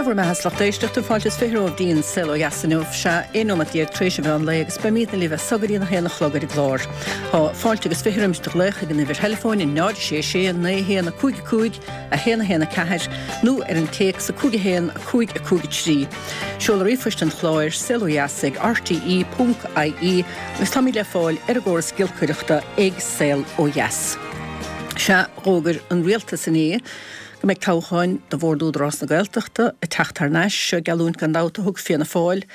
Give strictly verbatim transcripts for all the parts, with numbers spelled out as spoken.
Dé bhur mbeatha a lucht éisteachta fáilte is fiche romhaibh go dtí an Saol Ó Dheas inniu sea aon nóiméad déag tar éis an mheán lae agus beimidne libh as so go dtí a haon a chlog ar an gclár. Tá fáilte agus fiche roimis do ghlaoch ag an uimhir theileafóin náid sé sé naoi haon a cúig a cúig a haon a haon a ceathair nó ar an téacs a cúig a haon a cúig a cúig a trí. Seoladh ríomhphoist an chláir saol ó dheas ag rte ponc ie agus táimid le fáil ar an gcóras giolcaireachta ag Saol Ó Dheas. Sea d'fhógair an rialtas inné go mbeidh toghcháin do Bhord Údarás na Gaeltachta ag teacht thar n-ais, seo geallúint gan dabht a thug Fianna Fáil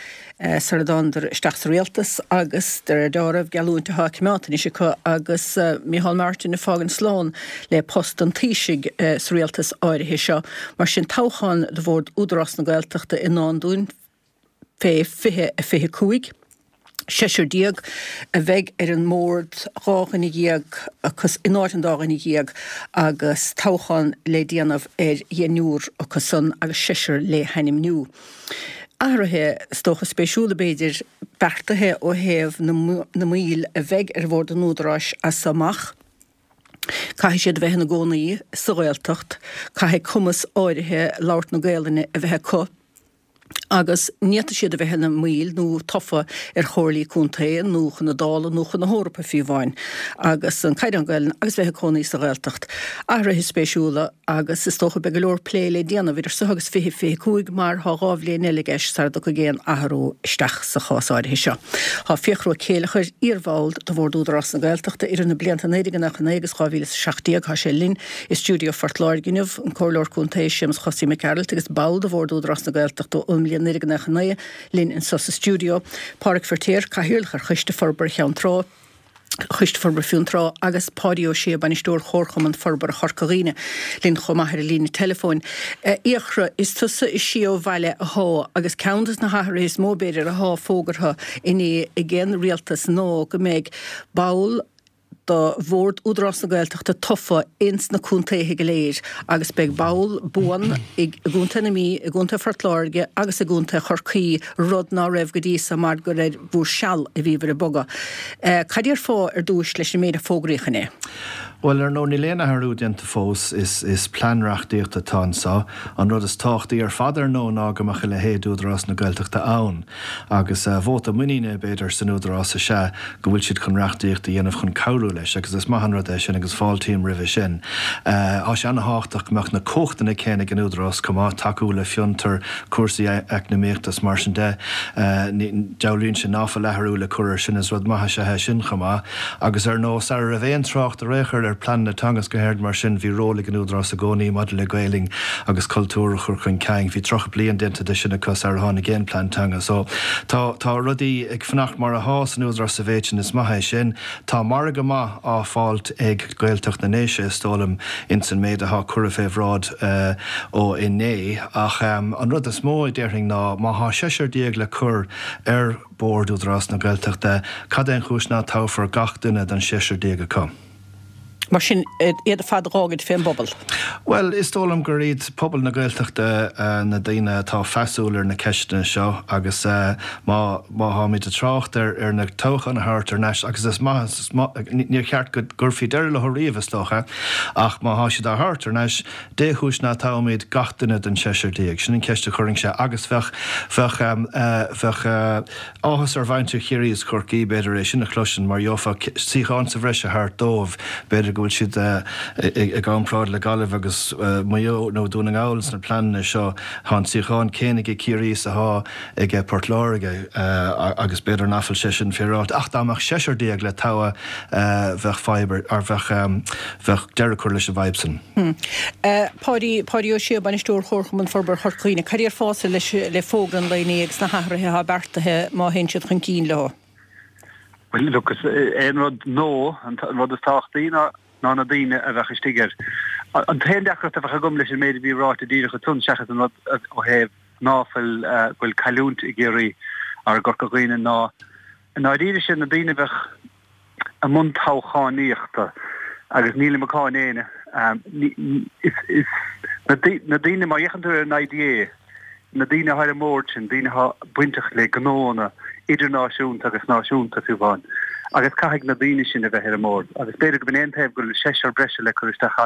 sar a dtánadar isteach sa rialtas agus de réir dealraimh geallúint atá coimeádta anois acu agus Micheál Martin ag fágaint slán le post an Taoisigh sa rialtas áirithe seo. Mar sin toghchán do Bhord Údarás na Gaeltachta i ndán dúinn fé fiche a fiche cúig. Seisear déag a bheidh ar an mbord, dhá dhuine dhéag acu in áit an dá dhuine dhéag agus toghchán le déanamh ar dheichniúr acu san agus seisear le hainmniú. Athruithe is dócha spéisiúla b'fhéidir beartaithe ó thaobh na mbaill a bheidh ar bhord an Údaráis as so amach. Caithfidh siad a bheith ina gcónaí sa Ghaeltacht, caithfidh cumas áirithe labhairt na Gaelainne a bheith acu. agus ní fhéadfaidh siad a bheith ina mbaill nó tofa ar chomhairlí contae nó chun na Dála nó chun na hEorpa fiú amháin, agus an caighdeán Gaelainne agus bheith ag cónaí sa Ghaeltacht. Athruithe spéisiúla agus is dócha beidh go leor plé le déanamh idir seo agus fiche fiche cúig mar tá dhá bhliain eile i gceist sara dtiocfaidh aon athrú isteach sa chás áirithe seo. Tá Fiachra Ó Céileachair, iarbhall de Bhord Údarás na Gaeltachta idir na blianta naoi déag nócha naoi agus dhá mhíle is a seacht déag, tá sé linn i stiúideo Phort Láirge inniu, an Comhairleoir Contae Séamus Chosaí Mac Gearailt agus ball de Bhord Údarás na Gaeltachta ón mbliain naoi déag nócha naoi linn anseo sa stiúideo, Pádraig Feiritéar, Cathaoirleach ar Choiste Forbartha Cheann Trá, Choiste Forbartha Fionntrá, agus Páidí Ó Sé, Bainisteoir Chomharchumann Forbartha Chorca Dhuibhne, linn chomh maith ar an líne teileafóin. A Fhiachra, is tusa is sia ó bhaile athá, agus ceann de na hathruithe is mó b'fhéidir athá fógartha inné ag an rialtas ná go mbeidh ball do Bhord Údarás na Gaeltachta tofa ins na contaetha go léir agus beidh ball buan i gContae na Mí, i gContae Phort Láirge agus i gContae Chorcaí, rud ná raibh go dtí so mar gur ar bhur seal a bhíobhair ag bogadh. Cad déarfá ar dtúis leis an méid a fógraíodh inné? Bhuel, ar ndóigh, níl aon athrú déanta fós. Is is plean reachtaíochta atá anseo. An rud is tábhachtaí ar fad, ar ndóigh, ná go mbeadh a leithéid d'Údarás na Gaeltachta ann. Agus vóta muiníne, b'fhéidir, san Údarás is ea go bhfuil siad chun reachtaíocht a dhéanamh chun cabhrú leis, agus is maith an rud é sin agus fáiltím roimhe sin. Tá sé an-thábhachtach go mbeadh na cumhachtanna céanna ag an Údarás chomh maith, tacú le fiontar, cúrsaí eacnamaíochta is mar sin de. Dealraíonn sé ná fuil athrú le cur air sin, is rud maith is ea é sin chomh maith. Agus ar ndóigh, sara raibh aon trácht ar aon chor ar pleananna teanga is go háirid mar sin, bhí ról ag an Údarás i gcónaí maidir le Gaelainn agus cultúr a chur chun cinn. Bhí tríocha bliain déanta de sin acu sara tháinig aon plean teanga. So, tá, tá rudaí ag fanacht mar athá san Údarás sa mhéid sin, is maith é sin. Tá margadh maith á fáilt ag Gaeltacht na nDéise, is dóigh liom, ins an méid athá curtha fé bhráid ó inné. Ach an rud is mó a déarfainn ná má thá seisear déag le cur ar Bord Údarás na Gaeltachta, cad é an chúis ná toghfar gach duine den seisear déag acu? Mar sin, iad ar fad a dh'fhágaint fén bpobal? Bhuel, is dóigh liom gur iad pobal na Gaeltachta na daoine atá feasúil ar na ceisteanna seo agus má má tháimid ag trácht ar ar na toghcháin a thabhairt thar n-ais, agus is maith, is maith, níor cheart go gcuirfí deireadh leo riamh is dócha, ach má thá siad á thabhairt thar n-ais, dé chúis ná toghfaimid gach duine den seisear déag? Sin an cheist a chuirfinnse agus bheadh, bheadh, bheadh. Áthas ar mhuintir Chiarraí is Chorcaí, b'fhéidir, é sin a chloisint, mar gheofá suíochán sa bhreis a thabhairt dóibh. B'fhéidir go bhfuil siad i gcomparáid le Gaillimh agus Maigh Eo nó Dún na nGall sna pleananna seo. Tá an suíochán céanna ag Ciarraí is atá ag Port Láirge agus b'fhéidir nach bhfuil sé sin féaráilte. Ach dá mbeadh seisear déag le toghadh bheadh fadhb ar, bheadh, bheadh deireadh curtha leis an bhfadhb sin. Páidí, Páidí Ó Sé, Bainisteoir Chomharchumann Forbartha Chorca Dhuibhne, cad déarfása leis, le fógra an lae inné agus na hathruithe atá beartaithe má théann siad chun cinn leo? Bhuel, look, is é an rud nó, an rud is tábhachtaí ná ná na daoine a bheadh istigh air. An t-aon deacracht a bheadh agam leis an méid a bhí ráite díreach ansan seachas an rud ó thaobh ná fuil, go bhfuil cailliúint i gCiarraí or i gCorca Dhuibhne ná i ndáiríre siad na daoine a bheadh i mbun toghchánaíochta agus nílim ag cáineadh éinne. Is na daoine, má fhéachann tú ar an IDA, na daoine atá ar an mbord sin, daoine atá bainteach le gnóanna idirnáisiúnta agus náisiúnta fiú amháin, agus caithfidh na daoine sin a bheith ar an mbord. Agus b'fhéidir go b'in é an taobh go bhfuil seisear breise le cur isteach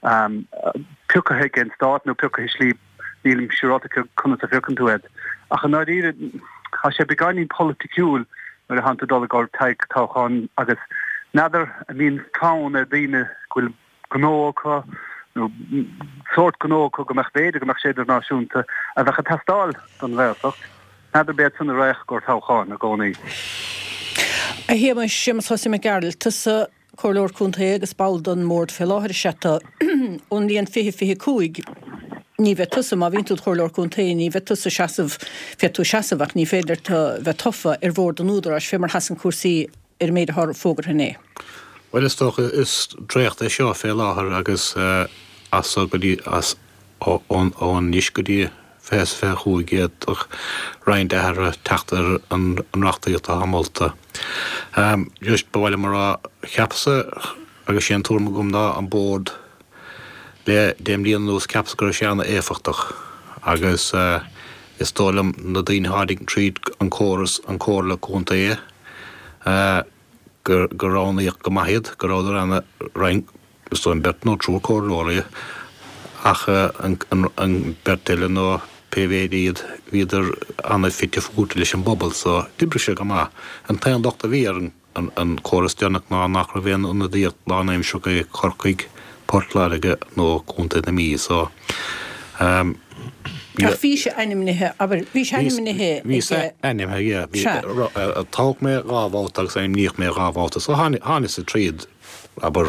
ann, pioctha ag an stát nó pioctha i slí Nílim siúráilte conas a phiocann tú iad. Ach i ndáiríre, tá sé beagáinín polaiticiúil nuair a thánn tú ag dul i gcomhair toghcháin agus n'fheadar an mbíonn fonn ar daoine go bhfuil gnó acu nó sórt gnó acu go mbeadh b'fhéidir go mbeadh sé idirnáisiúnta a bheadh ag teastáil don Ghaeltacht. N'fheadar b'iad san a raghadh i gcomhair toghcháin i gcónaí. A Shéamais, Séamus Chosaí Mac Gearailt, tusa Comhairleoir Contae agus ball den mBord fé láthair is ea tú. Ón mbliain fiche fiche cúig ní bheidh tusa, má bhíonn tú i do Chomhairleoir Contae, ní bheidh tusa seasamh, féadfaidh tú seasamh ach ní féidir leat bheith tofa ar Bhord an Údaráis fé mar sheasann cúrsaí ar an méid atá fógartha inné. Bhuel is dócha is dréacht é seo fé láthair agus as so go dtí as ó anois go dtí fiche is fiche cúig d'fhéadfadh roinnt athruithe teacht ar an reachtaíocht atá molta. Just ba mhaith liom a rá, cheapas-sa, agus sé an tuairim agam ná an bord le deich mbliana anuas, cheapas go raibh sé an-éifeachtach agus is dóigh liom na daoine a tháinig tríd an córas, an Comhairle Contae, gur roghnaíodh go maith iad, go rabhadar ana roinnt, is dóigh liom beirt nó triúr comhairleoirí ach an bheirt eile nó pé mhéid iad, bhíodar ana fite fuaite leis an bpobal so d'oibrigh sé go maith. An t-aon locht a bhí ar an córas deireanach ná nach raibh aon ionadaíocht lánaimsearach ag Corcaigh, Port Láirge nó Contae na Mí so. Ach bhí sé ainmnithe, abair, bhí sé ainmnithe ag. Bhí sé ainmnithe, yeah. Bhí, toghadh mé dhá bhabhta agus ainmníodh mé dhá bhabhta so tháinig-sa tríd, abair,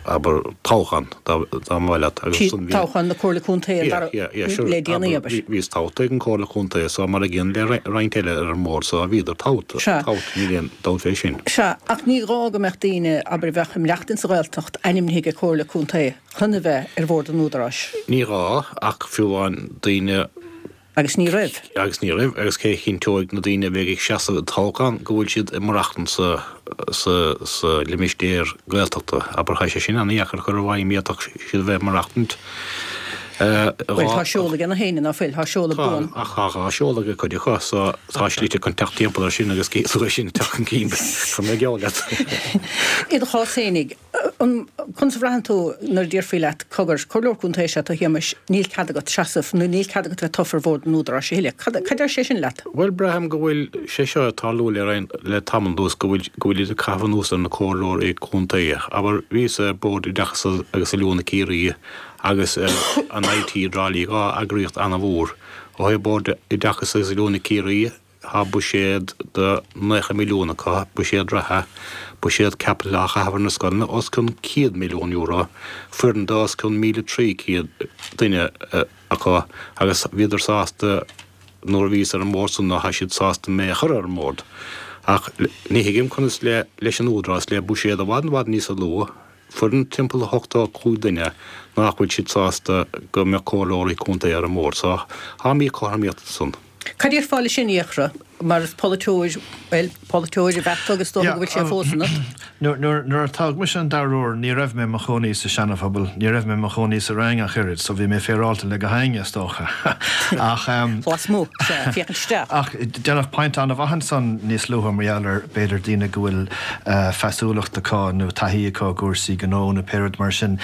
abair, toghchán, dá mba mhaith leat agus ansan bhí. Toghchán na Comhairle Contae an dara, Yeah, yeah, sure. le déanaí, abair. Bhíos toghta ag an Chomhairle Contae so mar a gcéanna le roinnt eile ar an mbord so bhíodar toghta, toghta, níl aon dabht fé sin. Sea, ach ní gá go mbeadh daoine, abair, a bheadh ag maireachtaint sa Ghaeltacht ainmnithe ag Comhairle Contae. Chun a bheith ar bhord an Údaráis. Ní gá, ach fiú amháin daoine. Agus ní raibh. Agus ní raibh, agus cé a chinnteoidh na daoine a bheidh ag seasamh i dtoghchán go bhfuil siad ag maireachtaint sa, sa, sa limistéar Gaeltachta? Abair, tá sé sin an-dheacair a chur i bhfeidhm, d'fhéadfadh siad a bheith ag maireachtaint dhá. Bhuel, tá seoladh ag na héinne, ná fuil? Tá seoladh buan. Tá, ach tá dhá seoladh ag cuid acu, so tá slite chun teacht timpeall air sin agus cé é sin ag teacht chun cinn, tá mé geall leat. I do chás fhéinig, an, conas a bhraitheann tú nuair a déarfaí leat, cogar, Comhairleoir Contae is ea tú a Shéamais, níl cead agat seasamh nó níl cead agat bheith tofa ar bhord an Údaráis a thuilleadh. Cad, cad deir sé sin leat? Bhuel, braithim go bhfuil sé seo ag tarlú le roinnt, le tamall anuas, go bhfuil, go bhfuil iad ag caitheamh anuas ar na comhairleoirí contae. Abair, bhíos ar Bhord Oideachais agus Oiliúna Ciarraí agus an IT i dTrá Lí, dhá eagraíocht an-mhór. Ó thaobh Bord Oideachais agus Oiliúna Ciarraí, tá buiséad de naocha milliún acu, buiséad reatha, buiséad caipitil á chaitheamh ar na scoileanna, os cionn céad milliún euro, foireann de os cionn míle trí chéad duine acu agus bhíodar sásta nuair a bhíos ar an mbord san, nó tá siad sásta mé a chur ar an mbord. Ach ní thuigim conas le leis an Údarás, le buiséad i bhfad i bhfad níos lú, foireann timpeall ochtó cúig duine nach bhfuil siad sásta go mbeadh comhairleoirí contae ar an mbord. So, tá míchothromaíocht ansan. Cad déarfá leis sin, a Fhiachra, mar is polaiteoir, bhuel, polaiteoir ab ea tú agus is dócha go bhfuil sé fós ionat. Nuair nuair a toghadh mise an dara huair, ní raibh mé i mo chónaí sa Seana-Phobal, ní raibh mé i mo chónaí sa Rinn ach oiread, so bhí mé féaráilte le gach éinne, is dócha. Ach. Lasmuigh, sea, féachaint isteach. Ach déanadh pointe an-mhaith ansan níos luaithe mar gheall ar, b'fhéidir, daoine go bhfuil feasúlacht acu nó taithí acu i gcúrsaí gnó nó pé rud mar sin.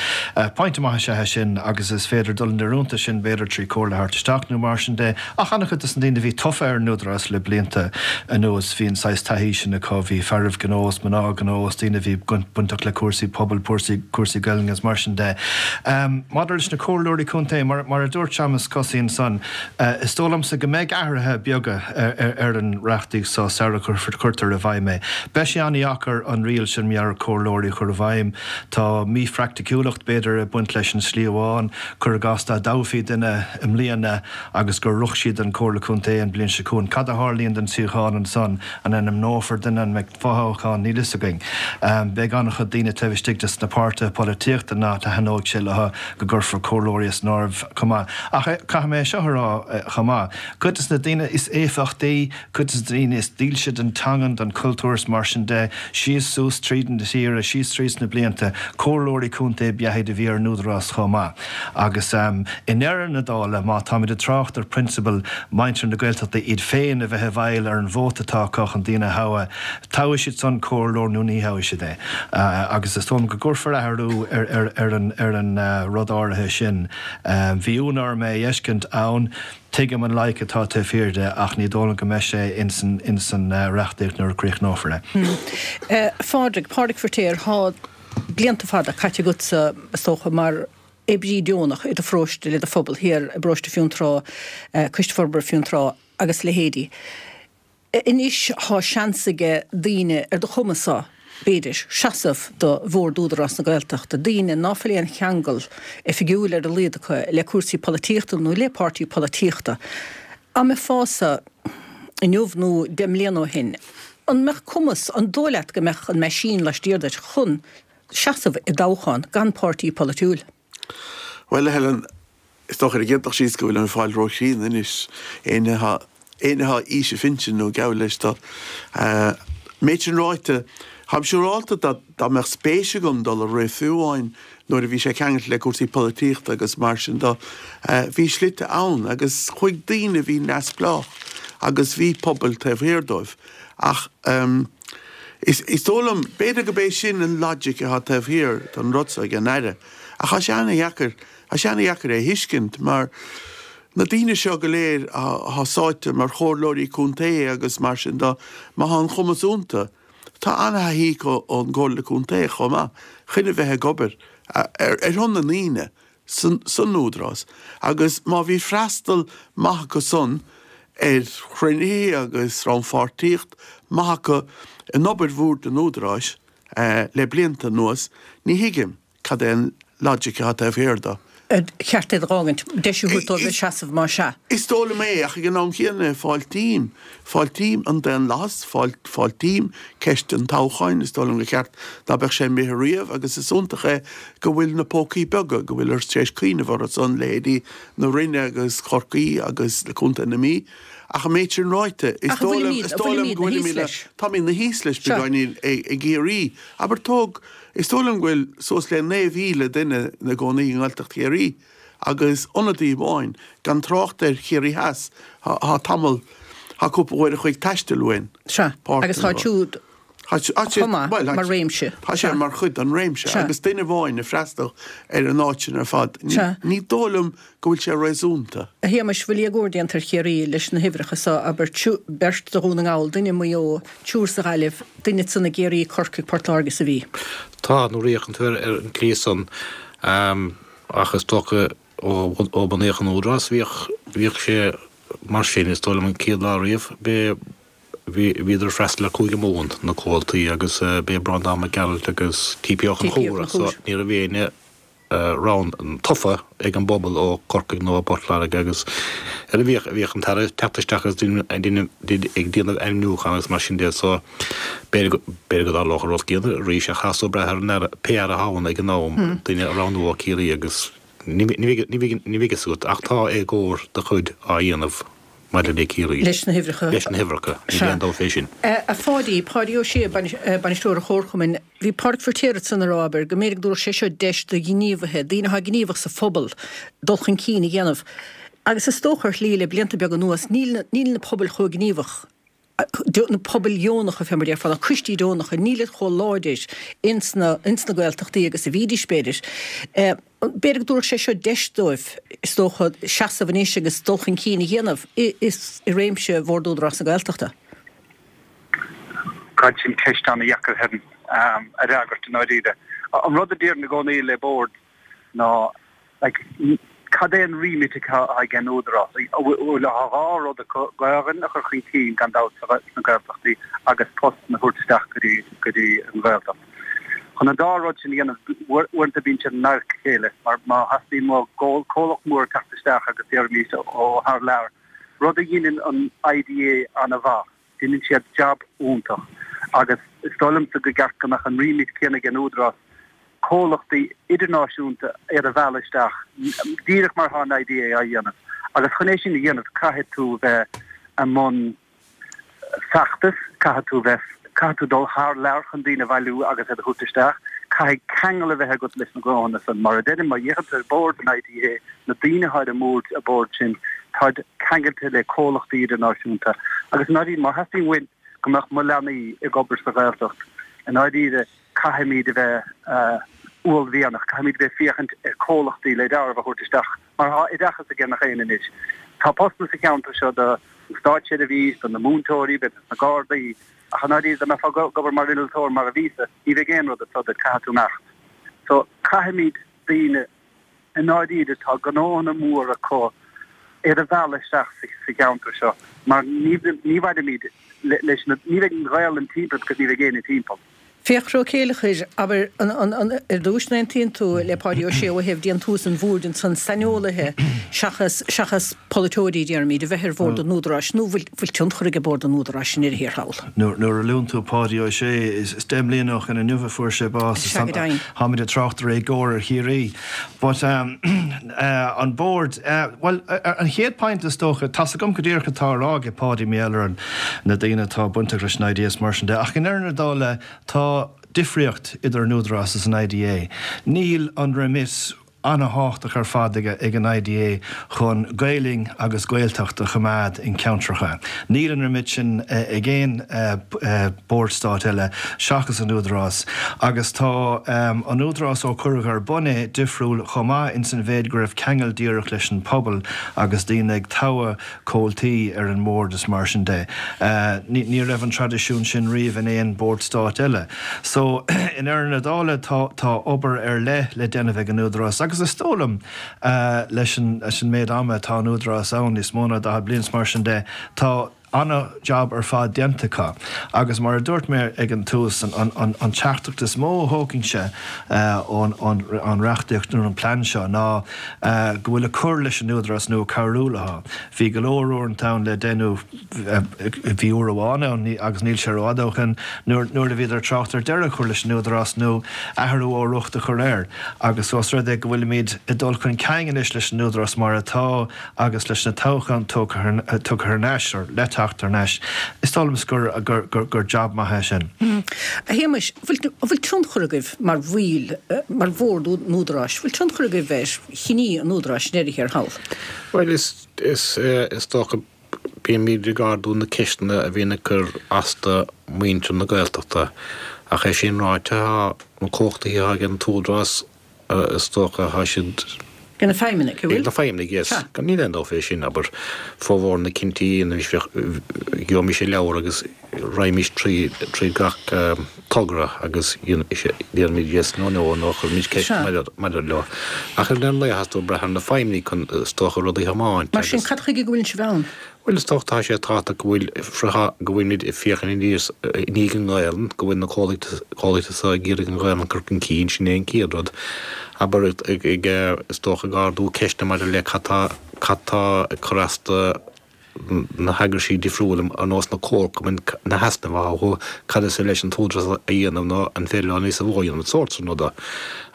Pointe maith is ea é sin agus is féidir dul ina rúnta sin b'fhéidir trí comhairle a thabhairt isteach nó mar sin de ach an-chuid de na daoine a bhí tofa ar an Údarás le blianta anuas bhí an saghas taithí sin acu, bhí fearaibh gnó is mná gnó is daoine a bhí bainteach le cúrsaí pobail, cúrsaí Gaelainne is mar sin de. Maidir leis na comhairleoirí contae, mar a dúirt Séamus Cosaí ansan, is dóigh liomsa go mbeidh athruithe beaga ar an reachtaíocht seo sara chuirtear i bhfeidhm é. Beidh sé an-dheacair an riail sin mar gheall ar comhairleoirí a chur i bhfeidhm. Tá míphraiticiúlacht, b'fhéidir, ag baint leis an slí amháin. Cuir i gcás dá dtoghfaí duine i mbliana agus gur shroich siad an Comhairle Contae an bhliain seo chugainn, cad a tharlaíonn don suíochán ansan? An ainmneofar duine? An mbeidh fothoghchán? Níl fhios againn. Beidh an-chuid daoine taobh istigh des na páirtithe polaitíochta nach dtaitneoidh sé leo go gcuirfear comhairleoirí as an áireamh chomh maith. Ach caithfidh mé seo a rá chomh maith, cuid des na daoine is éifeachtaí, cuid des na daoine is dílse don teangain, don chultúr is mar sin de, síos suas tríd an tír, síos tríd na blianta, comhairleoirí contae ab ea iad a bhí ar an Údarás chomh maith. Agus i ndeireadh na dála, má táimid ag trácht ar prionsabail muintir na Gaeltachta iad féin a bheith i bhfeighil bhfeighil ar an vóta atá acu chun daoine a thoghadh, toghfaidh siad san comhairleoir nó ní thoghfaidh siad é. Agus is dóigh liom go gcuirfear athrú ar an ar an rud áirithe sin. Bhí ionadh orm é a fheiscint ann. Tuigim an loighic atá taobh thiar de ach ní dóigh liom go mbeidh sé ins an ins an reachtaíocht nuair a críochnófar é. A Phádraig, Pádraig Firtéar, thá blianta fada caite agatsa, is dócha, mar oibrí deonach i do pharóiste le do phobal thiar i bparóiste Fionntrá, Coiste Forbartha Fionntrá agus leithéidí. Anois thá seans aige daoine ar do chuma-sa, b'fhéidir, seasamh do Bhord Údarás na Gaeltachta, daoine ná fuil aon cheangal oifigiúil ar a laghad acu le cúrsaí polaitíochta nó le páirtí polaitíochta. Dá mbeifeása inniu nó deich mbliana ó shin, an mbeadh cumas, an dóigh leat go mbeadh an meaisín laistiar duit chun seasamh i dtoghchán gan páirtí polaitiúil? Bhuel, a Helen, is dócha ar an gcéad dul síos go bhfuilim ag fáil róchríonna anois. Éinne atá éinne atá aois a phinsin nó geall leis do. Méid sin ráite, táim siúrálta dá dá mbeadh spéis agam dul a rith fiú amháin nuair a bhí sé ceangailte le cúrsaí polaitíochta agus mar sin do, bhí slite ann agus chuaigh daoine a bhí neamhspleách agus bhí pobail taobh thiar dóibh. Ach is is dóigh liom, b'fhéidir go b'é sin an logic atá taobh thiar don rud seo ag an Aire. Ach tá sé ana-dheacair, tá sé ana-dheacair é a thuiscint mar na daoine seo go léir atá sáite mar chomhairleoirí contae agus mar sin de, má tá an cumas iontu, tá ana-thaithí acu ón gComhairle Contae chomh maith, chun a bheith ag obair ar shon na ndaoine san Údarás agus má bhí freastal maith acu san ar chruinnithe agus rannpháirtíocht maith acu in obair Bhord an Údaráis le blianta anuas, ní thuigim. Cad é an logic atá taobh thiar de? Ar cheart iad a dh'fhágaint, deis a thabhairt dóibh seasamh más ea? Is dóigh liom é, ach ag an am chéanna, fáiltím, fáiltím an daonlathas, fáiltím ceist an toghcháin, is dóigh liom gur cheart ná beadh sé imithe riamh agus is iontach é go bhfuil na pócaí beaga, go bhfuiltear tar éis cuimhneamh orthu san, leithéidí na Rinne agus Chorcaí agus Contae na Mí. Ach an méid sin ráite, is Ach dóigh liom, bhfuilimid, is dóigh liom bhfuilimid go na bhfuilimid thíos leis? táimid na thíos leis Seo. beagáinín i gCiarraí. Abair tóg, is dóigh liom go bhfuil suas le naoi mhíle duine ina gcónaí i nGaeltacht Chiarraí agus ionadaí amháin, gan trácht ar Chiarraí Theas, thá tamall, thá cúpla uair a chloig taistil uainn. Sea, agus Páirteanna tá siúd Tá sé, chomh maith bhuel, mar réimse. tá sé Sea. mar chuid den réimse Sea. agus duine amháin ag freastal ar an áit sin ar fad. Ní, Sea. ní dóigh liom go bhfuil sé réasúnta. A Shéamais, bhfuil éagóir déanta ar Chiarraí leis na huimhreacha so, abair, beirt do Dhún na nGall, duine i Maigh Eo, triúr sa Ghaillimh, duine ansan i gCiarraí, Corcaigh, Port Láirge is a Mhí. Tá, nuair a fhéachann tú ar an tslí san, ach is dócha ó ó bunaíodh an Údarás bhíodh, bhíodh sé mar sin, is dóigh liom an chéad lá riamh, b'é, Bhí, bhíodar ag freastal ar Chúige Mumhan, na comhaltaí, agus b'é Breandán Mac Gearailt agus T P Ó T P Ó Conchúir, so Conchúir. ní raibh éinne rogha tofa ag an bpobal ó Chorcaigh nó ó Phort Láirge agus ar a bhíodh, bhíodh an tAire ag teacht isteach agus ag déanamh ainmniúchán agus mar sin de so b'fhéidir go, b'fhéidir go dtarlódh an rud céanna arís ach caithfidh tú brath ar an Aire, pé Aire atá ann ag an am, duine a roghnú ó Chiarraí agus ní, ní bheidh, ní bheidh, ní bheidh fhios agat ach tá éagóir de chuid á dhéanamh. Maidir le Ciarraí. Leis na huimhreacha. Leis na huimhreacha. Níl aon dabht fé sin. A Pháidí, Páidí Ó Sé, bainisteoir an Chomharchumainn, bhí Pádraig Firtéar ansan ag rá, abair, go mb'fhéidir go dtabharfadh sé seo deis do ghníomhaithe, daoine atá gníomhach sa phobal, dul chun cinn a dhéanamh. Agus is dócha ar shlí le blianta beaga anuas, níl níl na pobail chomh gníomhach, na pobail dheonacha fé mar a déarfá, na coistí deonacha, nílid chomh láidir ins na ins na Gaeltachtaí agus a bhídís, b'fhéidir. B'fhéidir go dtabharfadh sé seo deis dóibh, is dócha, seasamh anois agus dul chun cinn a dhéanamh i i réimse Bhord Údarás na Gaeltachta. God, sin ceist an-dheacair, Helen, a fhreagairt i ndáiríre. An rud a déarfainn i gcónaí le bord ná, like, cad é an remit atá ag an Údarás? Bhuel, tá dhá rud acu, Gaelainn a chur chun cinn, gan dabht, sna Gaeltachtaí agus postanna a thabhairt isteach go dtí go dtí an Ghaeltacht. Chun an dá rud sin a dhéanamh, uaireanta bíonn siad in adharca a chéile, mar má theastaíonn uait comhlacht mór teacht isteach agus déarfaimis ó thar lear, rud a dheineann an I D A an-mhaith, deineann siad jab iontach agus is dóigh liomsa go gceart go mbeadh an remit céanna ag an Údarás comhlachtaí idirnáisiúnta iad a mhealladh isteach, díreach mar atá an I D A á dhéanamh. Agus chun é sin a dhéanamh, caithfidh tú bheith i mbun feachtas, caithfidh tú bheith, caithfidh tú dul thar lear chun daoine a bhailiú agus iad a thabhairt isteach, caithfidh ceangal a bheith agat leis na gnóthanna san. Mar a deirim, má fhéachann tú ar bhord an I D A, na daoine atá ar an mbord, an bord sin, Táid ceangailte le comhlachtaí idirnáisiúnta agus i ndáiríre má theastaíonn uainn go mbeadh mo leanaí ag obair sa Ghaeltacht, i ndáiríre caithfimid a bheith uaillmhianach, caithfimid a bheith féachaint ar comhlachtaí le dealramh a thabhairt isteach mar tá oideachas ag gach éinne anois. Tá postanna sa cheantar seo do státseirbhís, do na múinteoirí, b'fhéidir sna Gardaí, ach i ndáiríre dá mbeifeá ag obair mar innealtóir mar a bhíos-sa, ní bheidh aon rud anseo duit, caithfidh tú imeacht. So caithfimid daoine i ndáiríre tá gnóanna móra acu iad a mhealladh isteach sa cheantar seo mar ní ní mhairfimid leis na ní bheidh an Ghaelainn timpeall because ní bheidh éinne timpeall. Fiachra Ó Céileachair, abair, an, an, an, ar dtús an aontaíonn tú le Páidí Ó Sé ó thaobh déantús an bhoird ansan saineolaithe seachas, seachas polaiteoirí, déarfaimid, a bheith ar bhord an Údaráis nó bhfuil, bhfuil tionchar ag bord an Údaráis i ndeireadh thiar thall? Nuair, nuair a luann tú Páidí Ó Sé, is, is deich mbliana ó shin inniu a fuair sé bás. Sea, go deimhin. Táimid ag trácht ar éagóir ar Chiarraí. But um, uh, an bord, uh, well, uh, an chéad point is dócha, tá's agam go díreach atá á rá ag Páidí mar gheall ar na daoine atá bainteach leis an I D A is mar sin de, ach i ndeireadh na dála tá difríocht idir an Údarás is an I D A. Níl an remit an-tábhachtach ar fad ag an I D A chun Gaelainn agus Gaeltacht a choimeád in ceantracha. Níl an remit sin ag aon bord stáit eile seachas an Údarás, agus tá an Údarás ó cuireadh ar bun é difriúil chomh maith in san mhéid go raibh ceangal díreach leis an pobal agus daoine ag toghadh comhaltaí ar an mbord is mar sin de. Ní raibh an traidisiún sin riamh in aon bord stáit eile. So i ndeireadh na dála tá tá obair ar leith le déanamh ag an Údarás agus is dóigh liom leis an leis an méid ama atá an Údarás ann, níos mó ná daichead bliain is mar sin de, tá an-jab ar fad déanta acu. Agus mar a dúirt mé ag an tús, an an an teachtaireacht is mó a thógfainnse ón an reachtaíocht nó an plean seo ná go bhfuil ag cur leis an Údarás nó cabhrú leo. Bhí go leor uaireanta ann le déanamh, bhí uair amháin ann agus níl sé rófhada ó shin nuair nuair a bhíodar ag trácht ar deireadh a chur leis an Údarás nó athrú ó riocht a chur air. Agus ós rud é go bhfuilimid ag dul chun cinn anois leis an Údarás mar atá agus leis na toghcháin tugtha tugtha thar n-ais or le teacht thar n-ais, is dóigh liom gur gur gur gur jab maith é sin. A Shéamais, bhfuil bhfuil tionchar agaibh mar bhaill, mar bhord an Údaráis, bhfuil tionchar agaibh ar chinní an Údaráis i ndeireadh thiar thall? Bhuel, is is is dócha bímid ag ardú na ceisteanna a bhíonn ag cur as do mhuintir na Gaeltachta. Ach é sin ráite, tá na cumhachtaí atá ag an tÚdarás, is dócha, tá siad Ag na feidhmeannaigh, an bhfuil? Ag na feidhmeannaigh, yes. Gan níl aon dabht fé sin, abair, formhór na cinntí anois bheadh, gheobhaimis an leabhar agus raghaimís trí, trí gach togra agus déarfaimid yes nó no nó chuirfimid ceist maidir, maidir leo. Ach ar an lae tá tú ag brath ar na feidhmeannaigh chun, is dócha, rudaí a thiomáint Mar sin, cad chuige go bhfuil sibh ann? Bhuel, is dócha tá sé tábhachtach go bhfuil go bhfuilimid ag féachaint aníos i ndiaidh an Ghaelainn, go bhfuil na comhlachtaí seo ag iarraidh an Ghaelainn a chur chun cinn, sin é an chéad rud. Abair, ag, is dócha, ag ardú ceisteanna maidir le cad tá, cad tá ag cur as do na heagraisí difriúla ar nós na comharchumainn, na heasnaimh atá acu, cad is féidir leis an tÚdarás a dhéanamh nó an féidir leo níos mó a dhéanamh, an sórt sin ruda.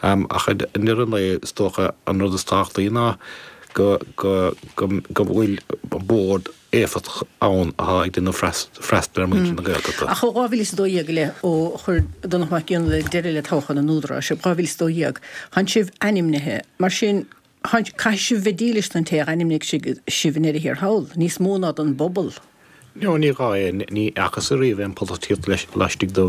Ach i ndeireadh an lae, is dócha, an rud is tábhachtaí ná go go bhfuil bord éifeachtach ann atá ag déanamh freastal ar mhuintir na Gaeltachta. Ach ó dhá mhíle is a dó dhéag i leith, ó chuir Donnchadh Mac Fhionnghaile deireadh le toghchán an Údaráis, dhá mhíle is a dó dhéag, tánn sibh ainmnithe. Mar sin, caithfidh sibh bheith dílis don té a ainmnigh sibh i ndeireadh thiar thall, níos mó ná don bpobal. No, ní gá é, ní fhacthas ariamh aon pholaitíocht laistigh de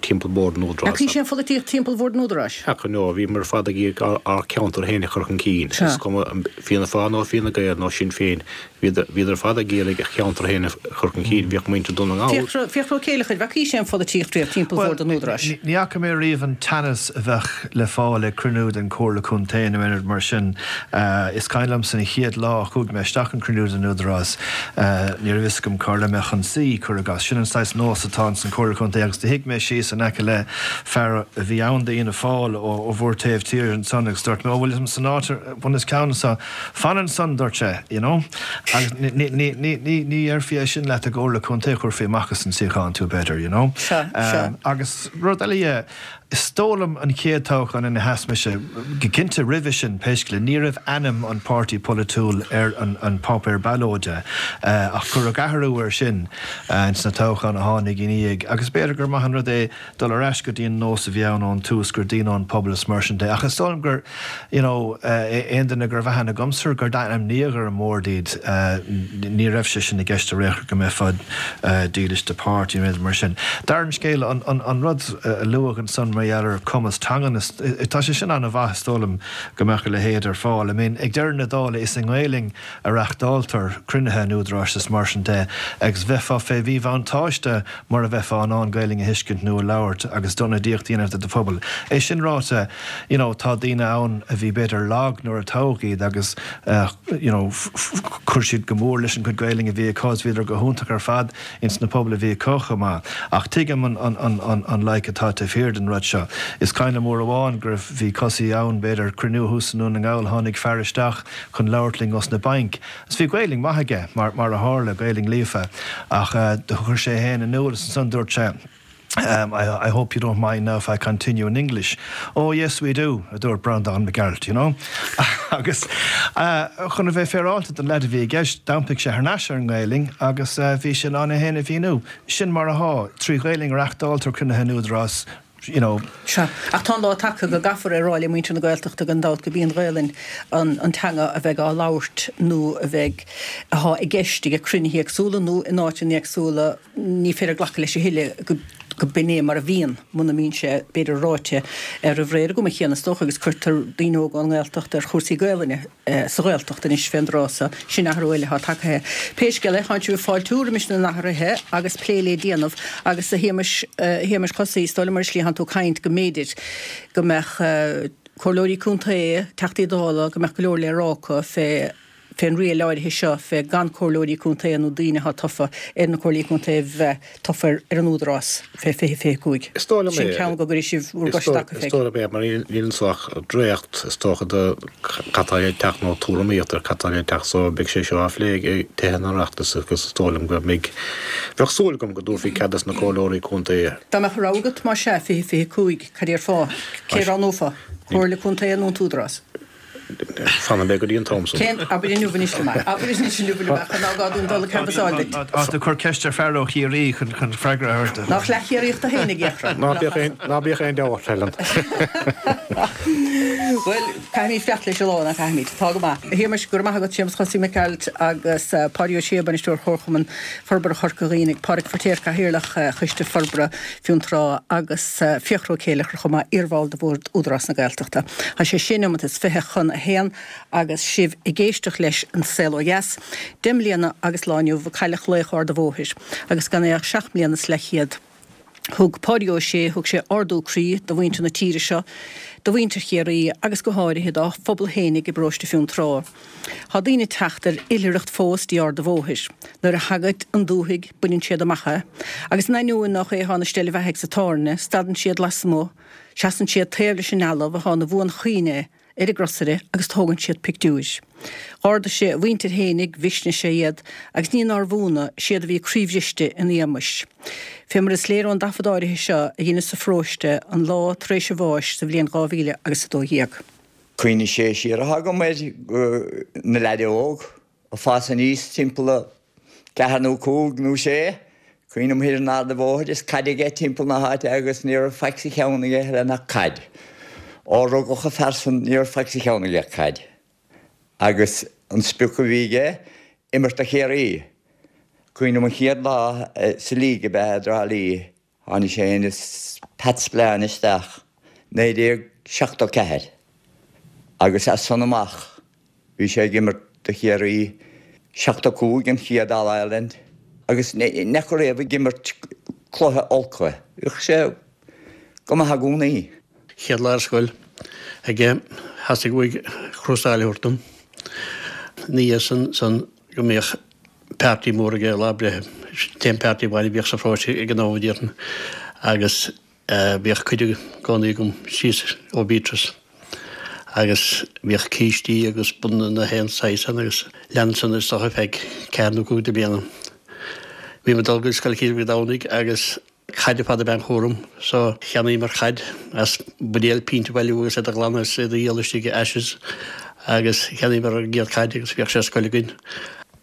timpeall Bhord an Údaráis. Bhí sé an pholaitíocht timpeall Bhord an Údaráis? Ach no, bhíomar ar fad ag iarraidh ár ceantar féin a chur chun cinn. Is cuma Fianna Fáil nó Fine Gael nó Sinn Féin, bhíodar ar fad ag iarraidh a cheantar féin a chur chun cinn. Bhíodh muintir Dún na nGall. Fiachra Ó Céileachair, bhfacaís aon pholaitíocht riamh timpeall Bhord an Údaráis? Ní fhaca mé riamh an teannas a bheadh le fáil ag cruinniú den Chomhairle Contae nó aon rud mar sin. Is cuimhin liomsa an chéad lá a chuaigh mé isteach an cruinniú den Údarás, ní raibh fhios agam cá raibh mé chun suí, cuir i gcás. Sin an saghas nós atá ins an Chomhairle Contae agus do shuigh mé síos in aice le fear a bhí ann d'Fhianna Fáil ó bhur taobh tíre ansan agus dúirt mé, 'Ó bhfuil san áit bun os cionn anso, fan ansan, dúirt sé, you know. Agus ní ní ní ní ní dhéarfaí é sin leat i gComhairle Contae, chuirfí amach as an suíochán tú b'fhéidir, you know. Sea, sea. Agus rud eile dhe, Is dóigh liom an chéad toghchán ina sheas mise, go cinnte roimhe sin pé scéal é, ní raibh ainm an páirtí polaitiúil ar an páipéar ballóide ach cuireadh athrú air sin ins na toghcháin a tháinig ina dhiaidh agus b'fhéidir gur maith an rud é dul ar ais go dtí an nós a bhí ann ón tús gur daoine ón pobal is mar sin de. Ach is dóigh liom gur you know aon duine go raibh aithne agamsa gur d'ainmníodh ar an mbord iad ní raibh sé sin i gceist ar aon chor go mbeifeá dílis do páirtí nó mar sin. Darna scéal an rud a luadh ansan mar gheall ar cumas teangan tá sé sin an-mhaith is dóigh liom go mbeadh a leithéid ar fáil. I mean ag deireadh na dála is i nGaelainn a reachtáiltear cruinnithe an Údaráis is mar sin de agus bheifeá fé mhíbhuntáiste mura mbeifeá in ann Gaelainn a thuiscint nó a labhairt agus d'ionadaíocht a dhéanamh do do phobal. É sin ráite you know tá daoine ann a bhí b'fhéidir lag nuair a toghadh iad agus you know chuir siad go mór leis an gcuid Gaelainn a bhí acu is bhíodar go hiontach ar fad ins na pobail a bhí acu chomh maith. Ach tuigim an an an an loighic atá taobh thiar den rud seo. Is cuimhin liom uair amháin go raibh bhí Cosaí ann b'fhéidir cruinniú thuas i nDún na nGall tháinig fear isteach chun labhairt linn os na bainc agus bhí Gaelainn maith aige mar mar a tharla, Gaelainn líofa ach do chuir sé é féin in iúl is ansan dúirt sé Um, I, I hope you don't mind now if I continue in English. Oh yes we do, a dúirt Breandán Mac Gearailt, you know. agus uh, chun a bheith féaráilte don leaid a bhí i gceist, d'iompaigh sé thar n-ais ar an nGaelainn agus uh, bhí sin ann é féin a mhíniú. Sin mar atá, trí Ghaelainn a reachtáiltear cruinnithe an Údarás you know. Sea, ach tá an lá tagtha go gcaithfear a rá le muintir na Gaeltachta gan dabht gurb í an Ghaelainn an, an teanga a bheidh á labhairt nó a bheidh atá i gceist ag cruinnithe éagsúla nó in áiteanna éagsúla ní féidir glacadh leis a thuilleadh go go b'in é mar a bhíonn muna mbíonn sé b'fhéidir ráite ar an bhréir go chéanna is dócha agus cuirtear daoine óga ón nGaeltacht ar chúrsaí Gaelainne sa Ghaeltacht anois fén dtráth so sin athrú eile atá tagtha. Pé scéal é, tánn sibh ag fáiltiú roimis na n-athruithe agus plé le déanamh agus a Shéamais a Shéamais Chosaí is dóigh liom mar is slí tú caint go mb'fhéidir go mbeadh comhairleoirí contae, Teachtaí Dála, go mbeadh go leor le rá acu fé fén riail áirithe seo fé gan comhairleoirí contae nó daoine atá tofa ar na comhairlí contae a bheith tofa ar an Údarás fé fiche fiche cúig. Is dóigh liom Sin é. ceann go gcuirfidh sibh bhur Is gcois dóigh taca is fé. dóigh liom é mar níl anso ach dréacht is dócha de cad tá le teacht nó tuairimíocht ar cad tá le teacht so beidh sé seo á phlé ag Tithe an Oireachtais agus is dóigh liom go mbeidh bheadh súil agam go dtabharfaí cead dos na comhairleoirí contae. Dá mbeadh rogha agat más ea fiche fiche cúig, cad déarfá? Cé a roghnófá? Comhairle contae nó an tÚdarás? Fanfaidh mé go dtí an t-am san. Cén, abair inniu anois liom é. Abair anois inniu liom é, chun ná gá dúinn dul ag canbhasáil duit. Tá tú ag cur ceist ar fear ó Chiarraí chun chun freagra a thabhairt. Nach leath-Chiarraíoch tú fhéin a Fhiachra? Ná bíodh aon ná bíodh aon deabhadh ort, Helen. Bhuel, caithfimid fanacht leis an lá, ná caithfimid. Tá go maith. A Shéamais, go raibh maith agat, Séamus Chosaí Mac Gearailt agus Páidí Ó Sé, Bainisteoir Chomharchumann Forbartha Chorca Dhuibhne, Pádraig Feiritéar, Cathaoirleach Choiste Forbartha Fionntrá agus Fiachra Ó Céileachair chomh maith, iarbhall de Bhord Údarás na Gaeltachta. Tá sé sé nóiméad is fiche chun a haon agus sibh ag éisteacht leis An Saol Ó Dheas, deich mbliana agus lá inniu a cailleadh laoch Ard an Bhóthair agus gan é ach seacht mbliana is leathchéad. Thug Páidí Ó Sé, thug sé ardú croí do mhuintir na tíre seo, do mhuintir Chiarraí agus go háirithe dá phobal fhéinig i bparóiste Fionntrá. Tá daoine ag teacht ar oilithreacht fós dtí Ard an Bhóthair. Nuair a thagaid an dúthaigh, baineann siad amach é, agus in ainneoin nach é atá ina steillebheathaidh sa tábhairne, stadann siad lasmuigh, seasann siad taobh leis an ealbh atá ina bhuanchuimhne ar an gcrosaire agus tógann siad pictiúir. Dh'ardaigh sé a mhuintir fhéinig, mhisnigh sé iad, agus ní nárbh ionadh, siad a bhí croíbhriste ina éagmais. Fé mar is léir ón dtaifead áirithe seo a dheineadh sa pharóiste an lá tar éis a bháis sa bhliain dhá mhíle agus a dó dhéag. Cuimhne sé siar atá agam air na leaid óg ag fás aníos timpeall a ceathair nó cúig nó sé. Cuimhním thiar in Ard a' Bhóthair is caid aige timpeall na háite agus ní raibh faic sa cheann aige eile ach caid. Ó rugadh an fear san ní raibh faic sa cheann aige ach caid. Agus an sprioc a bhí aige, imirt do Chiarraí. Cuimhním an chéad lá sa league ab ea i dTrá Lí, tháinig sé fhéin is Pat Spillane isteach, naoi déag seachtó ceathair, agus as san amach bhí sé ag imirt do Chiarraí, seachtó cúig an chéad All Ireland, agus ní fhaca riamh ag imirt cluiche olc é. Bhíodh sé go maith i gcónaí. Chéad lá ar scoil aige, theastaigh uaidh crossáil a thabhairt dom. Ina dhiaidh san san go mbíodh party mór aige lá breithe, sin t-aon party amháin a bhíodh sa pharóiste ag an am a déarfainn, agus bhíodh cuidiú i gcónaí agam síos ó Beatrice agus bhíodh cístí agus bunna na haon saghas ann agus lean san is dócha feadh ceathair nó cúig de bhliana. Bhí mé ag dul go Scoil Chill Mhic Domhnaigh agus Caid ar fad ab ea an cúram so cheannaíomar caid as buidéal pínt a bhailiú agus iad a ghlanadh is iad a dhíol istigh i Ashes agus cheannaíomar ár gcéad caid agus bhíodh sé ar scoil againn.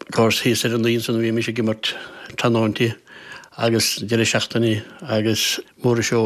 Of course thíos ar an Naoi ansan a bhímis ag imirt tráthnóintí agus deireadh seachtainí agus mór an seó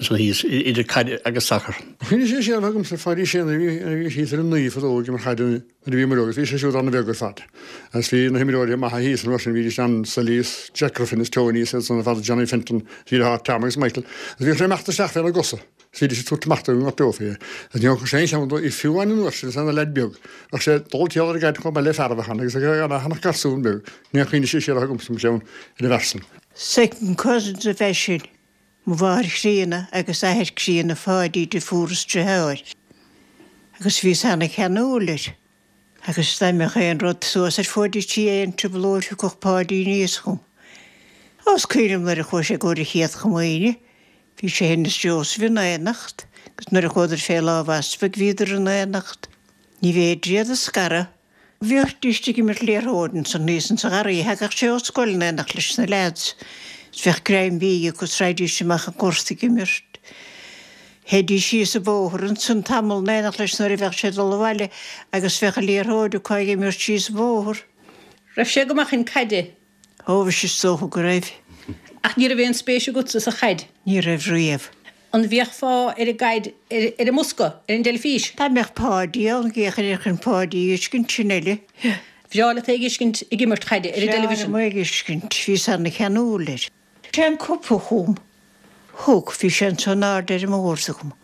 ansan thíos idir caid agus sacar. Chuimhnigh sé siar agamsa Pháidí Sé nuair a bhí thíos ar an Naoi fadó ag imirt caide nuair a bhíomar óg agus bhí sé siúd an-bheag ar fad. Agus bhí na himreoirí maithe thíos an uair sin, bhídís ann Sully is Jack Griffin is Tony is iad san ar fad, Johnny Fenton, bhí a Tom agus Michael. Agus bhíodh sé imeacht isteach fé na gcosa. Is bhídís ag tabhairt amach dó i ngort beo fé. Agus ní thógfadh sé aon cheann dó, fiú amháin an uair sin is é ina leaid beag. Bheadh sé ag dul timpeall ar an gcaid chomh maith le fear a bheadh ann agus ag garsún beag. Ní chuimhnigh sé siar agamsa mo cheann ar an bhfear san. Second cousins a bheith sin, mo mháthair chríonna agus athair críonna Pháidí de fuaras deartháir. Agus bhíos ana-cheanúil air. Agus dá mbeadh aon rud suas ar fuaid an tí aon trioblóid thiocfadh Páidí aníos chugam. Ó is cuimhin liom nuair a chuaigh sé i gcomhair a chéad chomaoine, bhí sé féin is Joseph in éineacht, agus nuair a chuadar fé lámh easpaig bhíodar in éineacht. Ní bhféidir iad a scaradh. Bhídís ag imirt liathróid ansan thíos insa gharraí, thagadh sé ó scoil in éineacht leis na leaids. Is bheadh greim bídh acu is raghaidís amach an gort ag imirt. Théidís síos an bóthar ansan tamall in éineacht leis nuair a bheadh sé ag dul abhaile agus bheadh an liathróid acu ag imirt síos an bóthar. Raibh sé go maith chun caide? Ó bhí is dócha go raibh. Ach ní raibh aon spéis agatsa sa chaid? Ní raibh riamh. An bhféachfá ar an gcaid ar an mbosca, ar an dteilifís? Dá mbeadh Páidí ann, d'fhéachfainn air chun Páidí a fheiscint, sin uile. Bhreá leat é a fheiscint ag imirt chaide ar an dteilifísean? Bhreá liom é a fheiscint, bhíos ana-cheanúil air. Sé an cupa chugam. Thug, bhí sé anso in airde ar an mbord agam.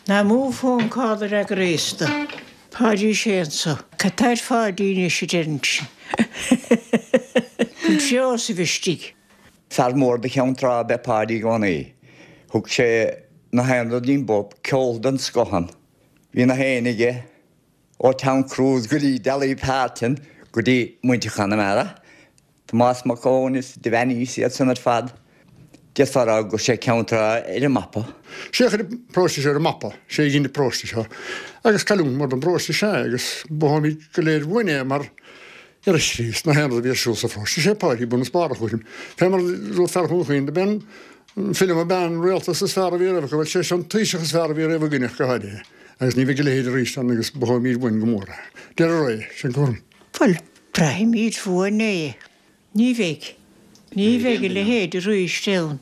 Ná mó phone call a fhreagraíos do. Páidí sé anso. Cad tá ar Pháidí anois a deireann sin. Bhfuil Seosamh istigh? Fear mór de Cheann Trá ab ea Páidí i gcónaí. Thug sé na haon rud dínn bob, ceol den scoth ann. Bhí na héinne aige, ó Tom Cruise go dtí Dolly Parton go dtí muintir Chonamara, Tomás Mac Eoin is Devaney is iad san ar fad. D'fhéadfá a rá go raibh sé Ceann Trá ar an mapa. Sé a chuir an paróiste seo ar an mapa, sé a dhein an paróiste seo agus cailliúint mhór don bparóiste is ea é agus mhothóimid go léir uainn é mar ar a chríost na haon rud a bhí ar siúl sa pharóiste, sé Páidí bun is barr a chúraim. Fé mar a dúirt fear Dhún Chaoin, do b'é an Felim ab ea an rialtas is fearr a bhí riamh acu, bhuel sé seo an Taoiseach is fearr a bhí riamh againne ach go háirithe, agus ní bheidh a leithéid arís ann agus mhothóimid uainn go mór é. Deireadh ré, sin cúram. Bhuel, braithimid uainn é. Ní bheidh. Ní bheidh a leithéid arís ann.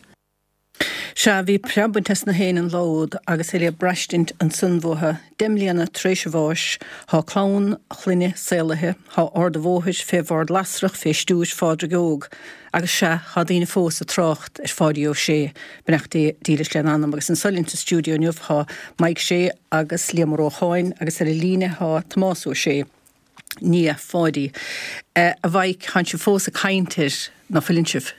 Sea, bhí preab bainte as na héin an lá úd agus é le braistint ansan uathu, deich mbliana tar éis a bháis, thá clann a chlainne saolaithe, thá Ard a' Bhóthair fé bhord lasrach fé stiúir Phádraig Óg, agus sea, thá daoine fós ag trácht ar Pháidí Ó Sé, beannacht Dé dílis lena anam. Agus anso linn sa stiúideo inniu thá Mike Sé agus Liam Ó Rócháin agus ar an líne thá Tomás Ó Sé. nia Pháidí. A Mhaidhc, thánn sibh fós ag caint air, ná fuileann sibh?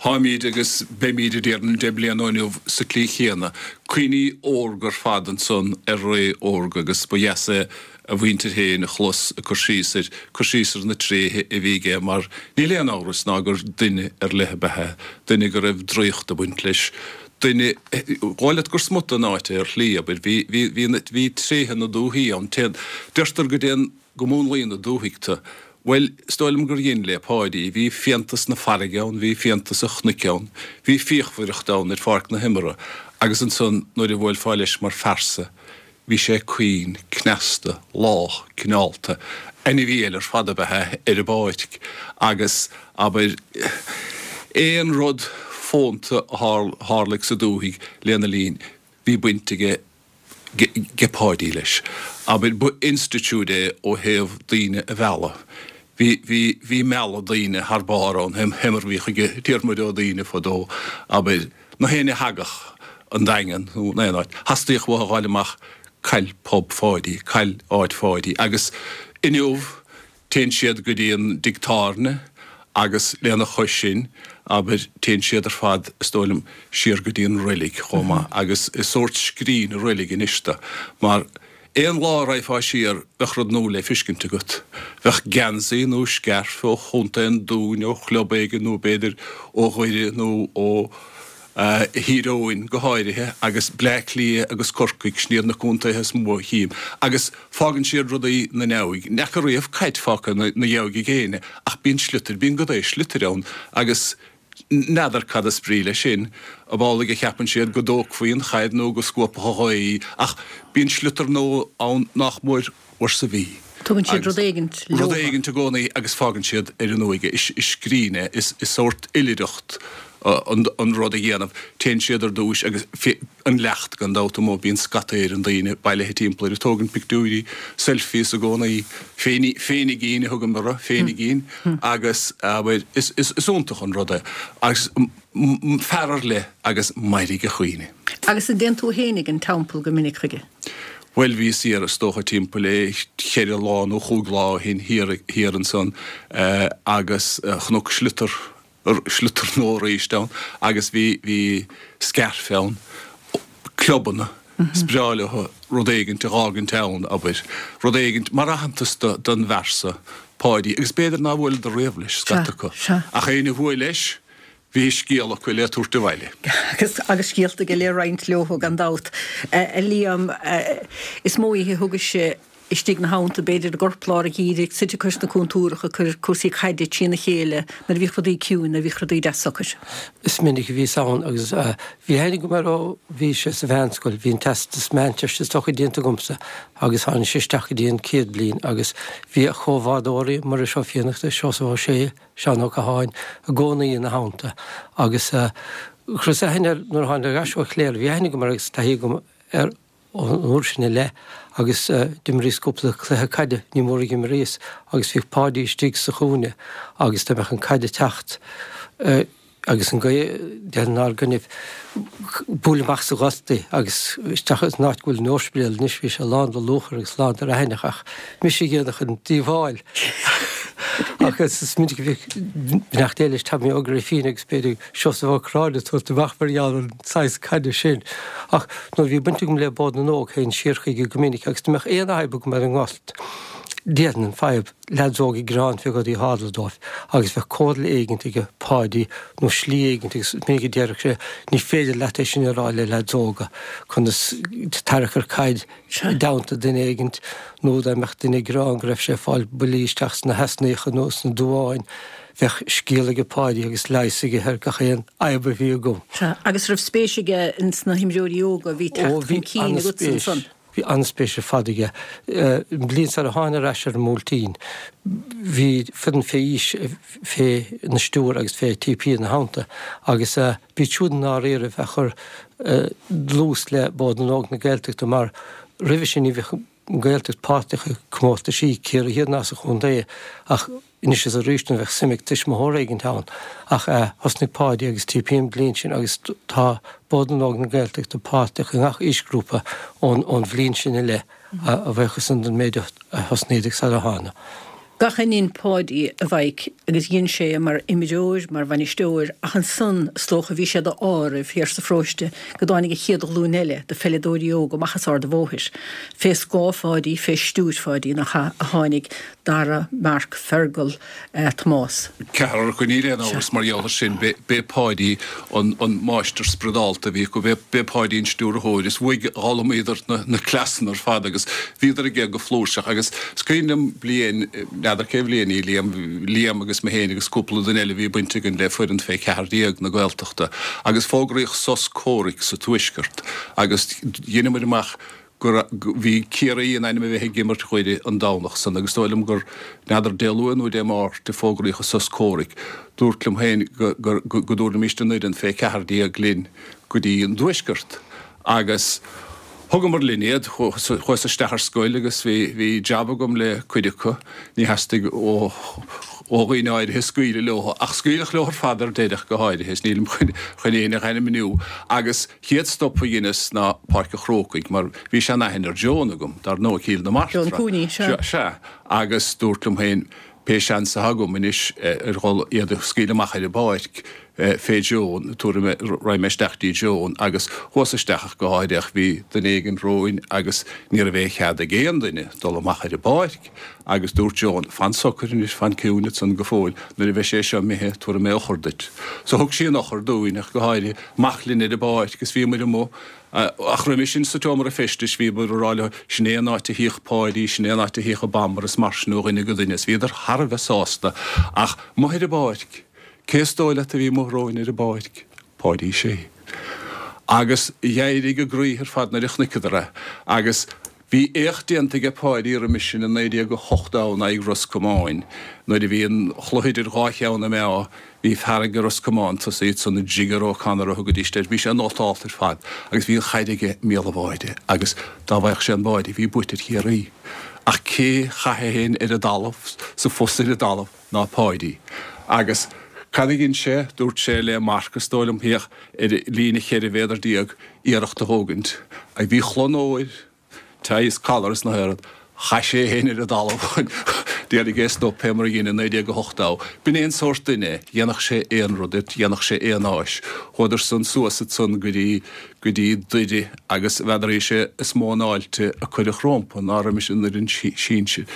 Táimid agus beimid, a déarfainn, deich mbliana ó inniu sa tslí chéanna. Cuimhní órga ar fad ansan ar ré órga agus ba dheas é a mhuintir féin a chlos ag cur síos air, cur síos ar na tréithe a bhí aige mar níl aon amhras ná gur duine ar leith ab ea é, duine go raibh draíocht ag baint leis, duine, dhóigh leat gur smut den áit é ar shlí, abair, bhí, bhí, bhí, bhí tréithe na dúthaí ann. Téann, deirtear go dtéann go múnlaíonn an dúthaigh tú. Bhuel, is dóigh liom gur dhein le Páidí. Bhí fiántas na farraige ann, bhí fiántas an chnoic ann, bhí fíochmhaireacht ann ar pháirc na himeartha agus ansan nuair a bhuailfeá leis mar phearsa, bhí sé caoin, cneasta, lách, cineálta. Ainmhí eile ar fad ab ea é ar an bpáirc agus, abair, aon rud fónta a tharlaigh sa dúthaigh lena linn, bhí baint aige ag Páidí leis. Abair, ba institiúid é ó thaobh daoine a mhealladh. Bhí, bhí, bhí mealladh daoine thar barr ann, fé mar a bhíodh ag Diarmuid Ó Duibhne fadó, abair, na héinne a thagadh an Daingean nó in aon áit, theastaíodh uathu a ghabháil amach cail pub Pháidí, cail áit Pháidí. Agus inniu, Téann siad go dtí an dtigh tábhairne agus lena chois sin, abair, téann siad ar fad, is dóigh liom, siar go dtí an reilig chomh maith agus is sórt scrín an reilig anois do, mar aon lá a raghfá siar bheadh rud nua le feiscint agat. Bheadh geansaí nó scairf ó Chontae an Dúin, ó chlub éigin nó b'fhéidir ó Dhoire nó ó. Thír Eoghain go háirithe, agus Bleá Cliath agus Corcaigh, sin iad na contaetha is mó a chím. Agus fágann siad rudaí 'na ndeabhaidh. Ní fhaca riamh caid fágtha 'na dheabhaidh ag éinne, ach bíonn sliotar, bíonn go dté sliotair ann agus N'fheadar cad is brí leis sin, ab amhlaidh a cheapann siad go dtógfaí an chaid nó go scuabfadh an ghaoth í, ach bíonn sliotar nua ann nach mór uair sa mhí. Tugann siad rud éigint leo. Rud éigint i gcónaí agus fágann siad ar an uaigh é. Is scrín é, is sórt oilithreacht an rud a dhéanamh. Téann siad ar dtúis agus an leacht gan dabht amuigh, bíonn scata Éireann daoine bailithe timpeall air ag tógaint pictiúirí, selfies i gcónaí, féinigín a thugaim orthu, féinigín, agus abair, is iontach an rud é. Agus fear ar leith agus mairfidh a chuimhne. Agus an dtéann tú fhéinig an teampall go minic chuige? Bhuel, bhíos thiar is dócha timpeall é cheithre lá nó chúig lá ó shin thiar thiar ansan agus chonac sliotar sliotar nua arís ann agus bhí bhí scairf ann, clubanna, is breá leo rud éigint a dh'fhágaint ann, abair, rud éigint mar aitheantas do don bhfear so, Páidí, agus b'fhéidir nár bhuaileadar riamh leis, scata acu, ach éinne a bhuail leis, bhí scéal acu le tabhairt abhaile. Agus agus scéalta aige le roinnt leo gan dabht. A Liam, is mó oíche a thugais-se istigh 'na theannta, b'fhéidir i gcorplár an gheimhridh, suite cois na cúntúrach ag cur cúrsaí caide trína chéile nuair a bhíodh rudaí ciúin, nuair a bhíodh rudaí deas socair. Is minic a bhíos ann agus bhí aithne agam air ó bhí sé sa mheánscoil, bhí an teastas meánteiste is dócha déanta agamsa agus tháinig sé isteach go dtí an chéad bhliain agus bhí a chomhbhádóirí, Muiris Ó Fiannachta, Seosamh Ó Sé, Seán Ó Catháin, i gcónaí ina theannta agus chuireas aithne air nuair a tháinig ar ais ó Chléire, bhí aithne agam air agus taithí agam air ón uair sin i leith agus d'imríos cúpla cluiche caide, ní mór a dh'imríos, agus bhíodh Páidí istigh sa chúinne agus dá mbeadh an caid ag teacht agus an ghaoth inár gcoinnibh, bualadh amach sa ghort í agus isteach san áit go bhfuil an ospidéal anois, bhí sé lán de luachair agus lán de raithineach ach mise a dhéanfadh an díobháil. Ach is minic a bhíodh beannacht Dé leis Tommy Ó Grifín agus b'fhéidir Seosamh Ó Curráin ag tabhairt amach mar gheall ar an saghas caide sin. Ach nuair a bhí baint agam le Bord na nÓg théinn siar chuige go minic agus dá mbeadh aon fhadhb agam ar an ngort, déarfainn an fadhb, leaids óga ag gearán fé rudaí a tharla dóibh agus bheadh comhairle éigint aige Páidí nó slí éigint agus is minic a déarfadh sé ní féidir leat é sin a rá le leaids óga, conas tarrac ar caid i dteannta duine éigint nó dá mbeadh duine ag gearán go raibh sé ag fáil buillí isteach sna heasnaíocha nó sna duáin, bheadh scéal aige Páidí agus leigheas aige ar gach aon fhadhb a bhí agam. Sea, agus raibh spéis aige ins na himreoirí óga a bhí ag Ó, teacht bhí chun cinn agatsa an-spéis. ansan? Bhí an-spéis ar fad aige. An bhliain sar a thána ar ais ar an mBuailtín, bhí foireann fé aois fé na stiúir agus fé TP ina theannta agus b'iad siúd i ndáiríribh a chuir dlús le Bord na nÓg na Gaeltachta mar roimhe sin ní bhíodh an Ghaeltacht páirteach i comórtaisí Ciarraí Thiar ná sa chontae ach anois is arís nuair a bheadh suim ag tuismitheoir éigint ann. Ach thosnaigh Páidí agus TP an bhliain sin agus tá Bord na nÓg na Gaeltachta páirteach i ngach aoisghrúpa ón bhliain sin i leith, a bhuíochas san don méid a thosnaíodar sar a thána. Gach éinne dhein Páidí a Mhaidhc agus dhein sé é mar imreoir, mar bhainisteoir ach ansan is dócha bhí sé d'ádh oraibh thiar sa pharóiste go dtáinig an chéad ghlúin eile de pheileadóirí óga amach as Ard a' Bhóthair. Fé scáth Pháidí, fé stiúir Pháidí nach ea, a tháinig Dara, Marc, Fergal, Tomás. Ceathrar acu, níl aon amhras mar gheall air sin. B'é Páidí an máistir spioradálta a bhí acu, b'é Páidí an stiúrthóir is uaidh a d'fhoghlaimíodar na cleasanna ar fad agus bhíodar aige go flúirseach agus is cuimhin liom bliain, n'fheadar cé bhliain í, Liam, Liam agus mé féin agus cúpla duine eile bhí baint againn le foireann fé ceathair déag na Gaeltachta agus fógraíodh sos comhraic sa Tuaisceart agus dheineamair amach go bhí Ciarraí in ainm a bheith ag imirt Dhoire an Domhnach san agus dóigh liom gur, n'fheadar Dé Luain nó Dé Máirt a fógraíodh an sos comhraic, dúrt liom féin go go dtabharfaimis an fhoireann fé ceathair déag linn go dtí an dTuaisceart agus thugamar linn iad, chuas isteach ar scoil agus bhí bhí jab agam le cuid acu, ní theastaigh ó ó dhaoine áirithe scaoileadh leo ach scaoileadh leo ar fad ar deireadh go háirithe is nílim chun chun éinne a ainmniú agus chéad stop a dheineas ná Páirc an Chrócaigh mar bhí sean-aithne ar Joan agam, dar ndóigh, Cill na Joan Martra. Cooney, sea. Sea, agus dúrt liom féin pé seans atá agam anois ar dhul iad a scaoileadh amach ar an bpáirc fé Joan, tabharfaidh mé, raghaidh mé isteach dtí Joan agus chuas isteach ach go háirithe ach bhí duine éigin romhainn agus ní raibh aon chead ag aon duine dul amach ar an bpáirc agus dúirt Joan, fan socair anois, fan ciúin ansan go fóill, nuair a bheidh sé seo imithe tabharfaidh mé eochair duit. So thug sí an eochair dúinn ach go háirithe, amach linn ar an bpáirc agus bhíomair amuigh ach roimhe sin sa tseomra feistis bhíomair ag rá leo, sin é an áit a shuíodh Páidí, sin é an áit a shuíodh an Bamber is mar sin ó dhuine go duine is bhíodar thar a bheith sásta ach amuigh ar an bpáirc. Cé is dóigh leat a bhí amuigh romhainn ar an bpáirc? Páidí Sé. Agus d'éirigh a gcroíthe ar fad nuair a chonaiceadar é. Agus bhí éacht déanta aige Páidí roimis sin i naoi déag a hocht in aghaidh Ros Comáin. Nuair a bhí an chluiche idir dhá cheann na meá, bhí fear ag Ros Comáin tosaí ansan, Jigger O'Connor a thugaidís air, bhí sé nótálta ar fad agus bhí an chaid aige i mbéal an bháide agus dá bhfaigheadh sé an báide bhí buaite ag Ciarraí. Ach cé chaith é féin ar an dtalamh, sa phus ar an dtalamh, ná Páidí. Agus cad a dhein sé? Dúirt sé le Mark, is dóigh liom, féach, ar líne cheithre mhéadar déag, iarracht a thógaint. Agus bhí chlann óir, tie is collar is na haon rud. Chaith sé é féin ar an dtalamh. D'éirigh é stop pé mar a dhein i naoi déag a hocht dó. B'in é an sórt duine, dhéanfadh sé aon rud duit, dhéanfadh sé aon áis. Chuadar san suas ansan go dtí, go dtí Doire agus n'fheadar is é is mó an fháilte a cuireadh rómpa ná roimis an fhoireann sinsir.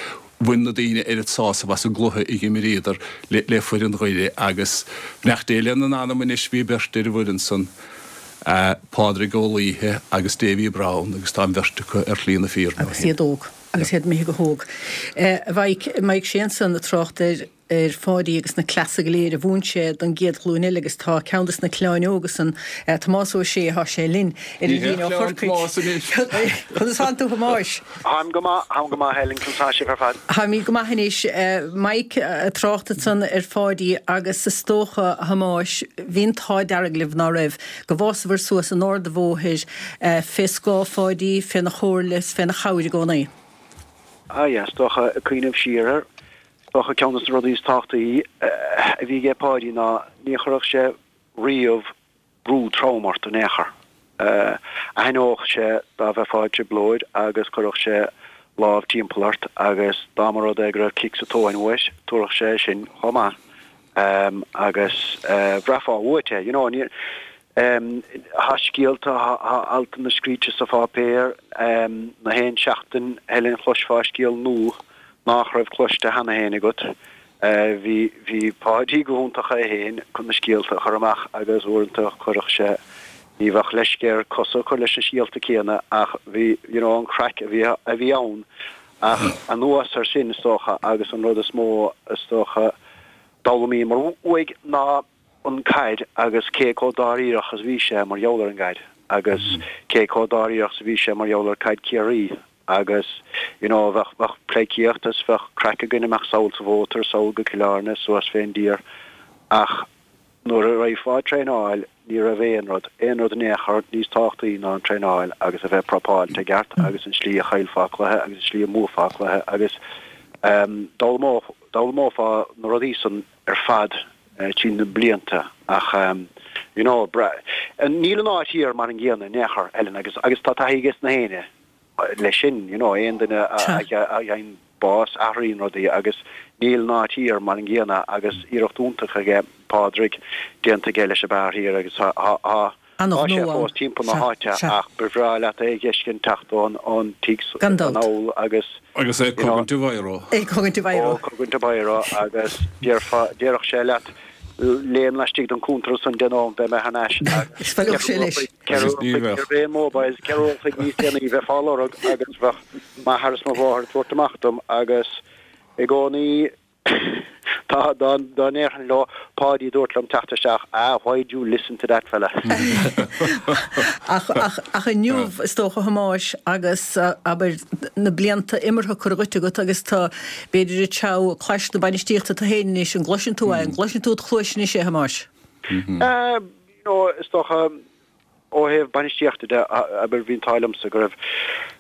Bhain na daoine oiread sásamh as an gcluiche a dh'imríodar le, le foireann Dhoire agus beannacht Dé lena n-anam anois bhí beirt ar an bhfoireann san. Pádraig Ó Laoithe agus Davy Browne agus tá an bheirt acu ar shlí na fírinne ó Agus shin. iad óg. Agus iad imithe go hóg. A Mhaidhc, Maidhc Sé ansan ag trácht ar ar Pháidí agus na cleasa go léir a mhúin sé don gcéad ghlúin eile agus tá ceann des na cleáin óga san, Tomás Ó Sé, thá sé linn ar Ní an hé líne ó cleann Chorcaigh. Tomás anois. Conas thánn tú Thomáis? Tháim go maith, tháim go maith Helen, conas tá sibh ar fad? Táimid go maith anois. Mike ag trácht ansan ar Pháidí agus is dócha, a Thomáis, bhí an t-ádh dearg libh, ná raibh, go bhfásabhair suas in Ard a' Bhóthair fé scáth Pháidí, féna chomhairle is féna chabhair i gcónaí. Ah yeah, is dócha, ag cuimhneamh siar air, is dócha ceann de na rudaí is tábhachtaí a bhí aige Páidí ná ní chuirfeadh sé riamh brú trom ort in aon chor. Aithneodh sé dá mbeifeá i dtrioblóid agus chuirfeadh sé lámh timpeall ort agus dá mba rud é go raibh cic sa tóin uait, tabharfadh sé sin chomh maith agus bhraithfeá uait é, you know. Ní, tá scéalta, tá altanna scríte sa pháipéar, na haon seachtain, Helen, chloisfeá scéal nua nach raibh cloiste cheana féin agat. Bhí, bhí Páidí go hiontach é féin chun na scéalta a chur amach agus uaireanta chuirfeadh sé, ní bheadh leisce air cosa a chur leis na scéalta céanna ach bhí, you know, an chraic a bhí, a bhí ann. Ach anuas ar sin, is dócha, agus an rud is mó, is dócha, d'fhoghlaimíomar uaidh ná an caid agus cé chomh dáiríreach is a bhí sé mar gheall ar an gcaid agus cé chomh dáiríreach is a bhí sé mar gheall ar caid Chiarraí. Agus, you know, bheadh, bheadh pleidhcíocht is bheadh craic againn amach sall sa mhótar, sall go Cill Airne, suas fén dtír. Ach nuair a raghfá ag traenáil, ní raibh aon rud, aon rud in aon chor níos tábhachtaí ná an traenáil agus a bheith prapáilte i gceart agus an slí a chaillfeá cluiche agus an slí a mbuafá cluiche agus ehm, d'fhoghlaimeodh, d'fhoghlaimeofá na rudaí san ar fad tríd na blianta ach ehm, you know, bra, níl an áit thiar mar an gcéanna in aon chor, Ellen, agus, agus tá taithí aige na héinne. leis sin, you know, aon duine a fhaigheann bás, athraíonn rudaí agus níl an áit thiar mar an gcéanna agus iarracht iontach aige Pádraig déanta aige leis an beár thiar agus tá tá sé fós timpeall na háite ach ba bhreá leat é a dh'fheiscint teacht ón ón tigh anall agus Agus é ag cogaint a bhiro. É ag cogaint a bhiro. Ó, cogaint a bhiro agus déarfá, déarfadh sé leat Léim laistigh den chuntar ansan deich nóiméad, beidh mé thar n-ais. Is bhaileodh sé leis. Ceithre uair an chloig, ní raibh aon mobiles, ceithre uair an chloig níos déanaí bheifeá á lorg agus bheadh m'athair is mo mháthair ag tabhairt amach dom agus i gcónaí tá, dá ndéarfainn leo, Páidí dúirt liom teacht isteach, ah, why'd you listen to that fella? Ach, ach, ach inniu, is dócha, a Thomáis, agus, abair, na blianta imeartha curtha dhuit agat agus tá, B'fhéidir ag treabhadh clais na bainistíochta tú féin anois, an gcloiseann tú é, an gcloiseann tú id chluais anois é, a Thomáis? You know, is dócha, ó thaobh bainistíochta de, abair, bhí an t-ádh liomsa go raibh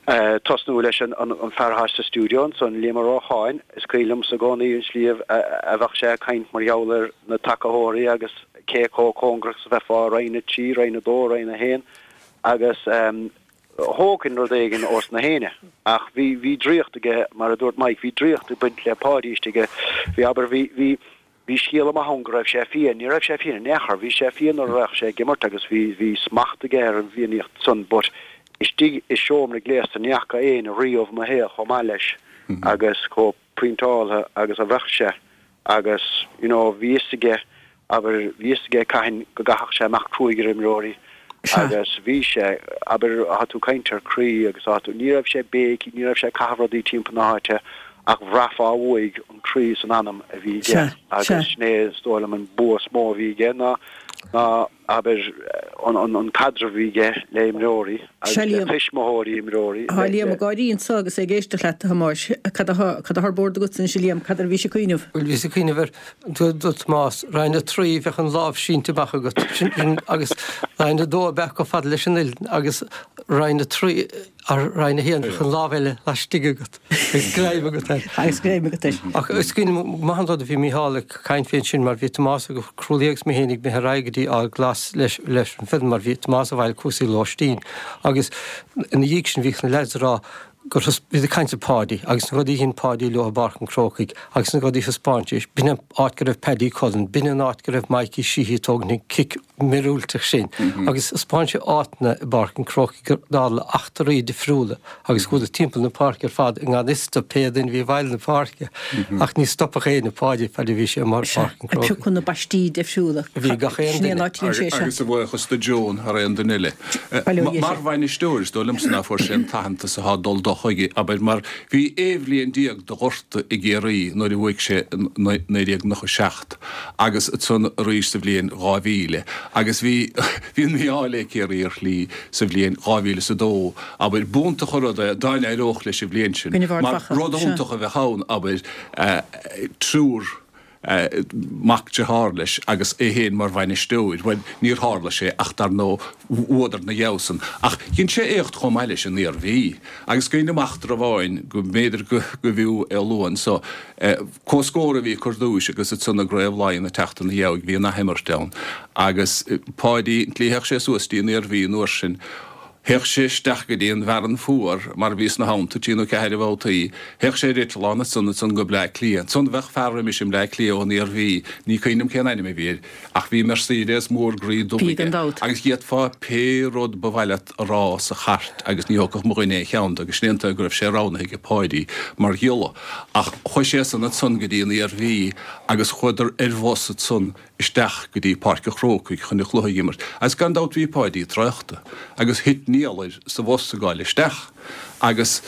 tosnú leis an fear atá sa stiúideo ansan, Liam Ó Rócháin, is cuimhin liomsa i gcónaí an slí a bheadh sé ag caint mar gheall ar na tacaitheoirí agus cé chomh cóngarach is a bheifeá i Roinn a trí, Roinn a dó, Roinn a haon agus thógfainn rud éigin ós na héinne. Ach bhí, bhí draíocht aige, mar a dúirt Mike, bhí draíocht ag baint le Páidí istigh. Bhí, abair, bhí, bhí, bhí scéal amach ann go raibh sé fiain. Ní raibh sé fiain in aon chor. Bhí sé fiain nuair a bheadh sé ag imirt agus bhí, bhí smacht aige ar an bhfiannaíocht san but istigh i seomra gléasta ní fhaca éinne riamh i mo shaol chomh maith leis agus chomh pointeáltha agus a bheadh sé agus you know bhí fhios aige abair bhí fhios aige cathain go gcaithfeadh sé amach cruaidh ar imreoirí agus bhí sé abair thá tú ag caint ar croí agus thá tú ní raibh sé béicí ní raibh sé ag caitheamh rudaí timpeall na háite Ach bhraithfeá uaidh an croí is an anam a bhí aige agus sin é is dóigh liom an bua is mó a bhí aige ná ná abair an an caidreamh a bhí aige le imreoirí agus le tuismitheoirí imreoirí. Tá Liam ag gáirí anso agus é ag éisteacht leat, a Thomáis. Cad atá cad atá ar bord agat anois, a Liam? Cad air a bhís ag cuimhneamh? Bhuel, bhíos ag cuimhneamh ar do Thomás, Roinn a trí, bheadh an lámh sínte amach agat, sin agus Roinn a dó ab ea chomh fada leis an uillinn agus Roinn a trí, Ar Roinn a haon bheadh an lámh eile laistigh agat agus greim agat air. Agus greim agat air. Ach is cuimhin liom go maith an rud a bhí Mícheál ag caint faoi ansin mar bhí Tomás Ó Crualaoich agus mé féin ag imeacht ar aghaidh go dtí Ard Glas leis leis an foireann mar bhí Tomás ag fáil cúrsaí lóistín agus ina dhiaidh sin bhíodh na leaids ag rá gur bhí ag caint ar Pháidí agus na rudaí a dhein Páidí leo i bPáirc an Chrócaigh agus na rudaí a thaispeáin sé, b'in an áit go raibh Paddy Cullen, b'in an áit go raibh Mikey Sheehy ag tógaint an cic míorúilteach sin agus thaispeáin sé áiteanna i bPáirc an Chrócaigh gur tharla eachtraí difriúla agus chuadar timpeall na páirce ar fad i ngan fhios do pé duine a bhí ag fáil na páirce ach ní stopfadh éinne Páidí fad a bhí sé amuigh ar Pháirc an Ag Chrócaigh. piocadh na baistí difriúla. Bhí gach aon Sin é an duine. áit a dhein sé seo. Agus a bhuíochas do Joan thar aon duine eile. Bail ó Dhia Mar air. bhainisteoir is dóigh liomsa ná fuair sé an t-aitheantas atá ag dul dó chuige, abair, mar bhí aon bhliain déag de ghorta i gCiarraí nuair a bhuaigh sé in naoi déag nócha seacht agus ansan arís sa bhliain dhá mhíle agus bhí bhí an mí-ádh le Ciarraí ar shlí sa bhliain dhá mhíle is a dó, abair, b'iontach an rud é dá n-éireodh leis an bhliain sin Coinnibh Ard mar Mhacha, rud sea. iontach a bheadh ann, abair, triúr mac dearthár leis agus é féin mar bhainisteoir. Bhuel, níor tharla sé ach dar ndóigh bhuadar ina dhiaidh san. Ach dhein sé éacht chomh maith leis an Iarmhí. Agus cuimhním eachtra amháin go mb'fhéidir go bhfiú é a lua anso. Comhscór a bhí acu ar dtúis agus ansan i gCraobh Laighean ag teacht ina dhiaidh bhí an athimirt ann. Agus Páidí, an tslí a théadh sé suas dtí an Iarmhí an uair sin, Théadh sé isteach go dtí an bhFearann Fuar, mar a bhíos ina theannta trí nó ceathair de bhabhtaí. Théadh sé ar eitleán ansan, ansan go Bleá Cliath. Ansan bheadh fear roimis i mBleá Cliath ón Iarmhí, ní cuimhin liom cén ainm a bhí air, ach bhí Mercedes mór groí dubh Bhí aige, gan dabht. agus d'fhéadfá pé rud ba mhaith leat a rá sa chairt agus ní thógfadh mo dhuine aon cheann de agus sin é an tuige go raibh sé roghnaithe aige Páidí mar ghiolla. Ach chuaigh sé san ansan go dtí an Iarmhí agus chuadar ar bhus ansan isteach go dtí Páirc an Chrócaigh chun an chluiche a imirt. Agus gan dabht bhí Páidí traochta agus thit néal air sa bhus ag gabháil isteach agus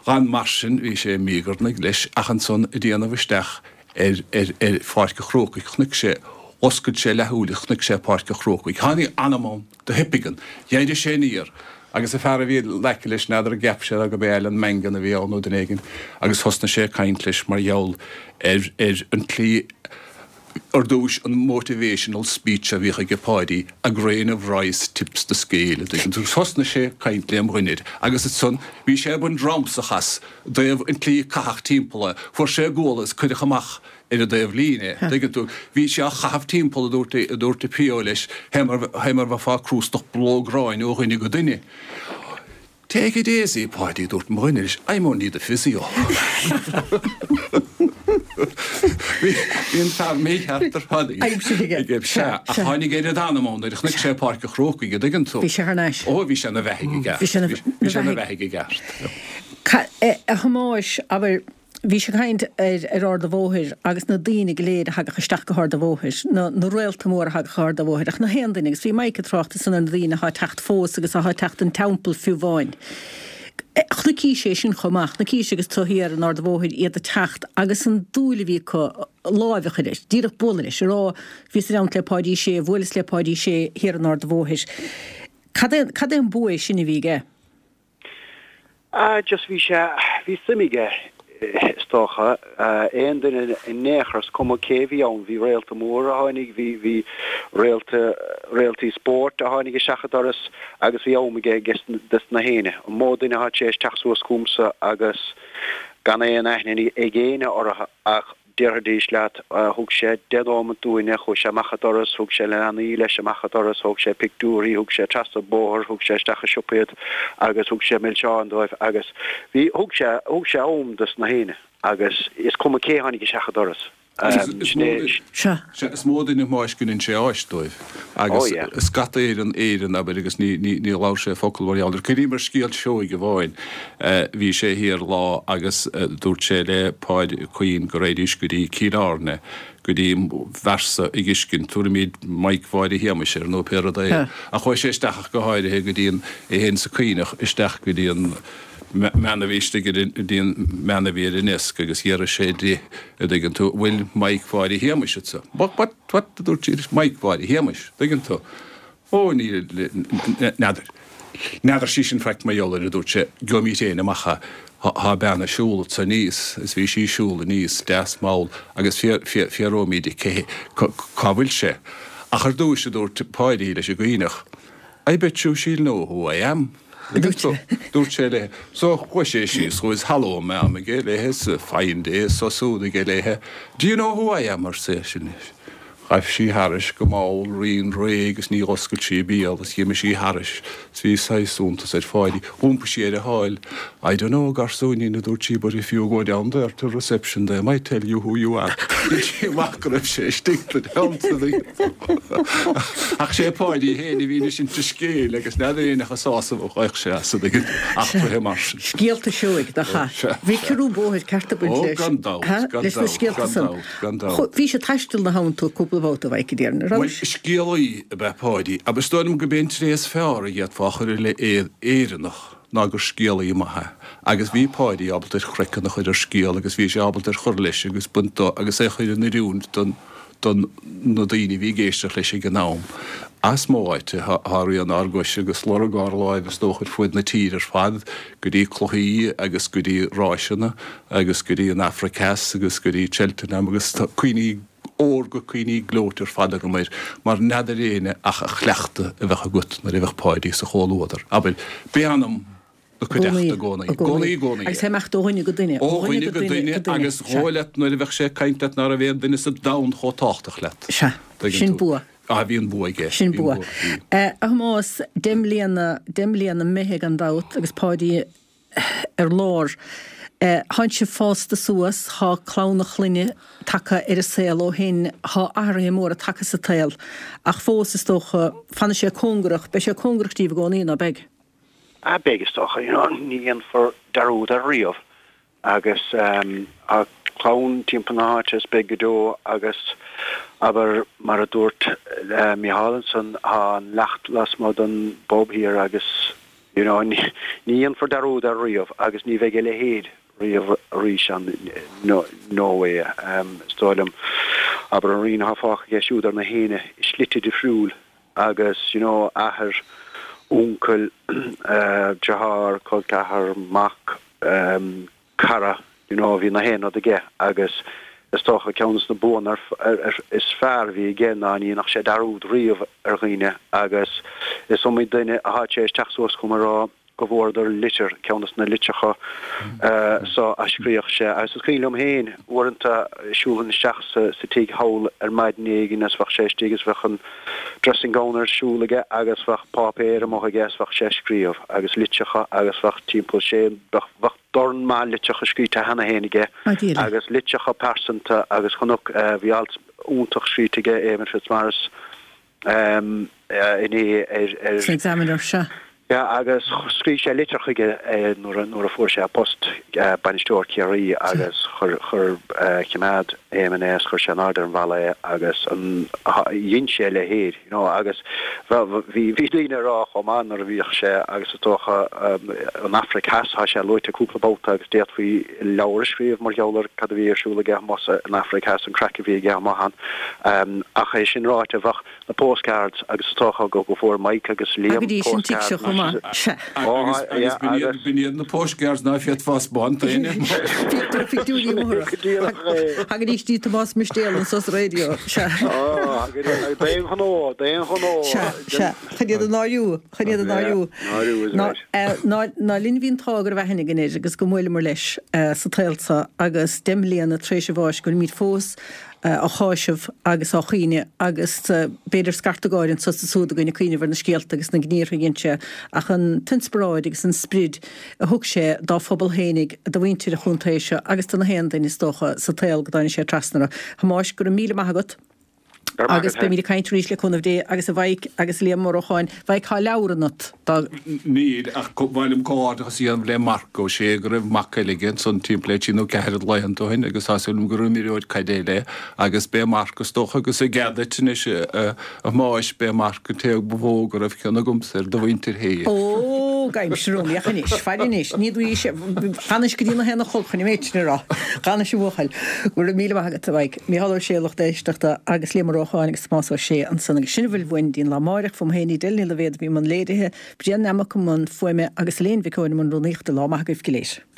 gan mar sin bhí sé ag míogarnaigh leis ach ansan ag déanamh isteach ar ar ar Pháirc an Chrócaigh chonaic sé oscail sé leathshúil is chonaic sé Páirc an Chrócaigh. Tháinig anam ann do thip aige. D'éirigh sé aniar agus an fear a bhí in aice leis n'fheadar an gceap sé go b'é Alan Mangan a bhí ann nó duine éigin agus thosnaigh sé ag caint leis mar gheall ar ar an tslí Ar dtúis, an motivational speech a bhíodh aige Páidí, a grain of rice tips the scale, a dtuigeann tú. Thosnaigh sé ag caint lem dhuine air agus ansan bhí sé ag baint ramsach as i dtaobh an tslí a caitheadh timpeall é. Fuair sé guala is cuireadh amach ar an dtaobh líne é, a dtuigeann tú. Bhí sé á chaitheamh timpeall, a dúirt, a dúirt an PO leis, fé mar, fé mar bheifeá ag crústach bró gráin ó dhuine go duine. Take it easy, Páidí, a dúirt mo dhuine leis, I'm only the physio. Bhí an fear mícheart ar fad Aimsir aige. aige. Sea, ach tháinig oiread anam ann nuair a chonaic sé Páirc an Chrócaigh, a dtuigeann tú. Bhí sé thar n-ais. Ó, bhí sé ina bheathaidh i gceart. Bhí sé ina Bhí sé ina bheathaidh. bheathaidh i gceart. A Thomáis, abair, Bhí sé ag caint ar ar Ard a' Bhóthair agus na daoine go léir a thagadh isteach go hArd a' Bhóthair, na na réalta móra a thagadh go hArd a' Bhóthair, ach na haon duine, agus bhí Mike ag trácht ansan ar na daoine athá ag teacht fós agus athá ag teacht don Teampall fiú amháin. Chonaicis é sin chomh maith, chonaicis agus tú thiar in Ard a' Bhóthair iad ag teacht agus an dúil a bhí acu láimh a chur air, díreach bualadh leis, a rá bhíos i dteannta le Páidí Sé, bhuaileas le Páidí Sé thiar in Ard a' Bhóthair. Cad é cad é an bua é sin a bhí aige? Ah, just bhí sé, bhí suim aige, is dócha. Aon duine in aon chor, is cuma cé a bhí ann, bhí réalta mór a tháinig, bhí, bhí réalta, réaltaí spóirt a tháinig isteach an doras agus bhí am aige aige dos na héinne. An mó duine atá tar éis teacht suas chugamsa agus gan aon aithne ag éinne orthu ach Déarfaidís leat, thug sé deich nóimeat dúinne, chuaigh sé amach an doras, thug sé na leanaí leis amach an doras, thóg sé pictiúirí, thug sé trasna an bóthar, thug sé isteach i siopa iad agus thug sé milseáin dóibh agus bhí, thug sé, thug sé am dos na héinne agus is cuma cé tháinig isteach an doras. Is Sin mó, é. Sea. sea, is mó duine a Thomáis go ndein sé áis dóibh Oh agus yeah. scata ar an Éirinn, abair, agus ní, ní, ní labhair sé focal mar gheall air. Cuimhním ar scéal seoigh amháin. Bhí sé thiar lá agus dúirt sé le Páid Quinn go raghaidís go dtí Cill Airne go dtí bhfearsa ag uiscint, tabharfaimid Mike Mháire Shéamais air nó pé rud é. Ach chuaigh sé isteach ach go háirithe go dtí an, é féin is an Coimhneach isteach go dtí an mbean a bhí istigh ar an mbean a bhí ar an ndeasc agus d'fhiafraigh sé di, a dtuigeann tú, bhfuil Mike Pháidí Shéamais anso? What, what, what, a dúirt sí, Mike Pháidí Shéamais, tuigeann tú. Ó, níl, n'fheadar. N'fheadar sí sin faic mar gheall air, a dúirt sé, gheobhaimid féin amach é. Tá bean ag siúl anso aníos, is bhí sí ag siúl aníos, deas mall, agus fiafróimid di cé, cá bhfuil sé. Ach ar dtúis, a dúirt Páidí leis an gCuimhneach, I bet you she'll know who I am. Dúirt sé léi. So chuaigh sé síos, chuaigh hello ma'am aige léi, is fine day, so súd aige léi. Do you know who I am? arsa eisean. Ghaibh sí thairis go mall righin réidh agus ní dh'oscail sí a béal is dh'imigh sí thairis is bhí saghas iontas ar Pháidí. Dh'iompaigh sí air a sháil. I don't know, a gharsúinín, a dúirt sí, but if you go down there to reception they might tell you who you are. Dhein sí amach go raibh sé istigh sa teannta Ach sé Páidí fhéin a bhí ag insint an scéil agus n'fheadar éinne a sásamh a ghaibh sé as ag eachtraithe mar sin. Scéalta seoigh, nach ea? Bhí ciorrú bóthair ceart ag baint Ó, leis. gan dabht, Ha? gan Leis na dabht, scéalta gan san. dabht, gan dabht. Cho- Bhí sé ag taisteal na habhann tú cúpla babhta, a Mhaidhc, a déarfainn, an raibh? Bhuel, scéalaí ab ea Páidí, agus is dóigh liom gurb é an tréith is fearr a d'fhéadfá a chur i leith Éireannach ná gur scéalaí maith é. Agus bhí Páidí ábalta ar chraiceann a chur ar scéal agus bhí sé ábalta ar chur leis agus baint dó agus é a chur in oiriúint don don na daoine a bhí ag éisteacht leis ag an am. As mo áite, thá rian ár gcoise agus lorg ár láimh is dócha ar fuaid na tíre ar fad, go dtí cluichí agus go dtí ráiseanna agus go dtí an Afraic Theas agus go dtí Cheltenham agus tá cuimhní órga, cuimhní gleoite ar fad agam air, mar n'fheadar éinne ach a chleachtadh a bheadh agat nuair a bheadh Páidí sa chomhluadar. Abair, b'é ainm na cuideachta i gcónaí. I gcónaí, i gcónaí. Agus é imeacht ó dhuine go duine. Ó dhuine go duine agus dhóigh leat nuair a bheadh sé ag caint leat ná raibh aon duine sa domhan chomh tábhachtach leat. Sea. Sin bua. Ah, bhí an bua aige. Sin Bhí an bua. bua, bhí. A Thomáis, deich mbliana, deich mbliana imithe gan dabht agus Páidí ar lár. Thánn sibh fásta suas, thá clann a chlainne tagtha ar an saol ó shin, thá athruithe móra tagtha sa tsaol, ach fós is dócha, fanfaidh sé cóngarach, beidh sé cóngarach díbh i gcónaí, ná beidh? Ah, beidh is dócha, you know, ní dhéanfar dearúd air riamh agus tá clann timpeall na háite is beidh go deo agus abair mar a dúirt Micheál ansan, tá an leacht lasmuigh den bpub thiar agus you know, ní dhéanfar dearúd air riamh agus ní bheidh a leithéid riamh arís ann, no, no way. Is dóigh liom, abair an rian atá fágtha aige siúd ar na héinne i slite difriúil agus you know, athair, uncail, deartháir, col ceathar, mac, cara, you know, bhí na haon rud aige agus is dócha ceann des na buanna is fearr a bhí aige ná ní dhéanfadh sé dearúd riamh ar dhaoine agus is iomaí duine a tháinig sé isteach suas chugam a rá go bhfuaireadar litir, ceann des na litreacha so a scríobh sé agus is cuimhin liom féin uaireanta siúlfainn isteach sa sa tigh thall ar maidin éigin agus bheadh sé istigh agus bheadh an dressing gown ar siúl aige agus bheadh páipéar amuigh aige agus bheadh sé ag scríobh agus litreacha agus bheadh timpeall sé bheadh bheadh dorn maith litreacha scríte cheana féin aige agus litreacha pearsanta agus chonac bhí alt iontach scríte aige Éamonn Fitzmaurice inné ar ar San Examiner, sea. Yeah, agus scríobh sé litir chuige nuair a nuair a fuair sé a post bainisteoir Ciarraí agus chuir chuir choimeád Éamonn é agus chuir sé in airde ar an bhalla é agus an dhein sé a leithéid you know agus bhí bhí daoine ag rá chomh maith nuair a bhíodh sé agus is dócha an Afraic Theas tá sé luaite cúpla babhta agus d'fhéadfaí leabhar a scríobh mar gheall ar cad a bhí ar siúl aige amuigh san Afraic Theas an craic a bhí aige amuigh ann ach é sin ráite bheadh na postcards agus is dócha go bhfuair Mike agus Liam Thagaidís an tigh seo chomh maith. Sea. Agus agus b'in iad b'in iad na postcards ná féadfá a 'spáint d'éinne. Bhíodh na pictiúirí móra. Thagaidís dtí Tomás Mistéal anso sa raidió. Sea. D'aon ghnó, d'aon ghnó. Sea, sea. Chun iad a náiriú, chun iad a náiriú. Náiriú is Ná, right. ná, ná linn bhí an t-ádh go raibh aithne againn air agus go mbuaileamar leis sa tsaol seo agus deich mbliana tar éis a bháis go bhfuilimid fós á cháiseamh agus á chaoineadh agus b'fhéidir scarta gáire anso is ansúd againn ag cuimhneamh ar na scéalta agus na gníortha a dhein sé ach an t-inspioráid agus an sprid a thug sé dá phobal fhéinig, do mhuintir an chontae seo agus do na haon duine is dócha sa tsaol go dtáinig sé trasna orthu. A Thomáis, go raibh míle maith agat. Agus beimid ag caint arís le cúnamh Dé agus a Mhaidhc agus Liam Ó Rocháin. Mhaidhc, tá leabhar ionat dá. Níl, ach ba mhaith liom comhghairdeachas a dhéanamh le Marc Ó Sé go raibh mac eile aige ansan timpeall le trí nó ceathair de laethanta ó shin agus tá súil agam gur imreoir caide eile é agus b'é Marc is dócha agus i gcead duit anois a Thomáis, b'é Marc an té ba mhó go raibh cion agamsa ar do mhuintir féin. Ó, beag aimsire romhainn, ach anois, faire anois, ní dúigh sé, d'fhanais go dtí na haon a chlog chun an méid sin a rá. D'fhanais a bhuachaill. Go raibh míle maith agat, a Mhaidhc. Mícheál Ó Sé, lucht éisteachta, agus Liam Ó Rócháin agus Tomás Ó Sé ansan. Agus sin a bhfuil uainn go dtí an lá amáireach, fúm féin Edel Ní Loibhéad a bhí i mbun léirithe, Brian Nammock i mbun fuaime agus Elaine Mhic Eoin i mbun rúnaíochta. Lá maith agaibh go léir.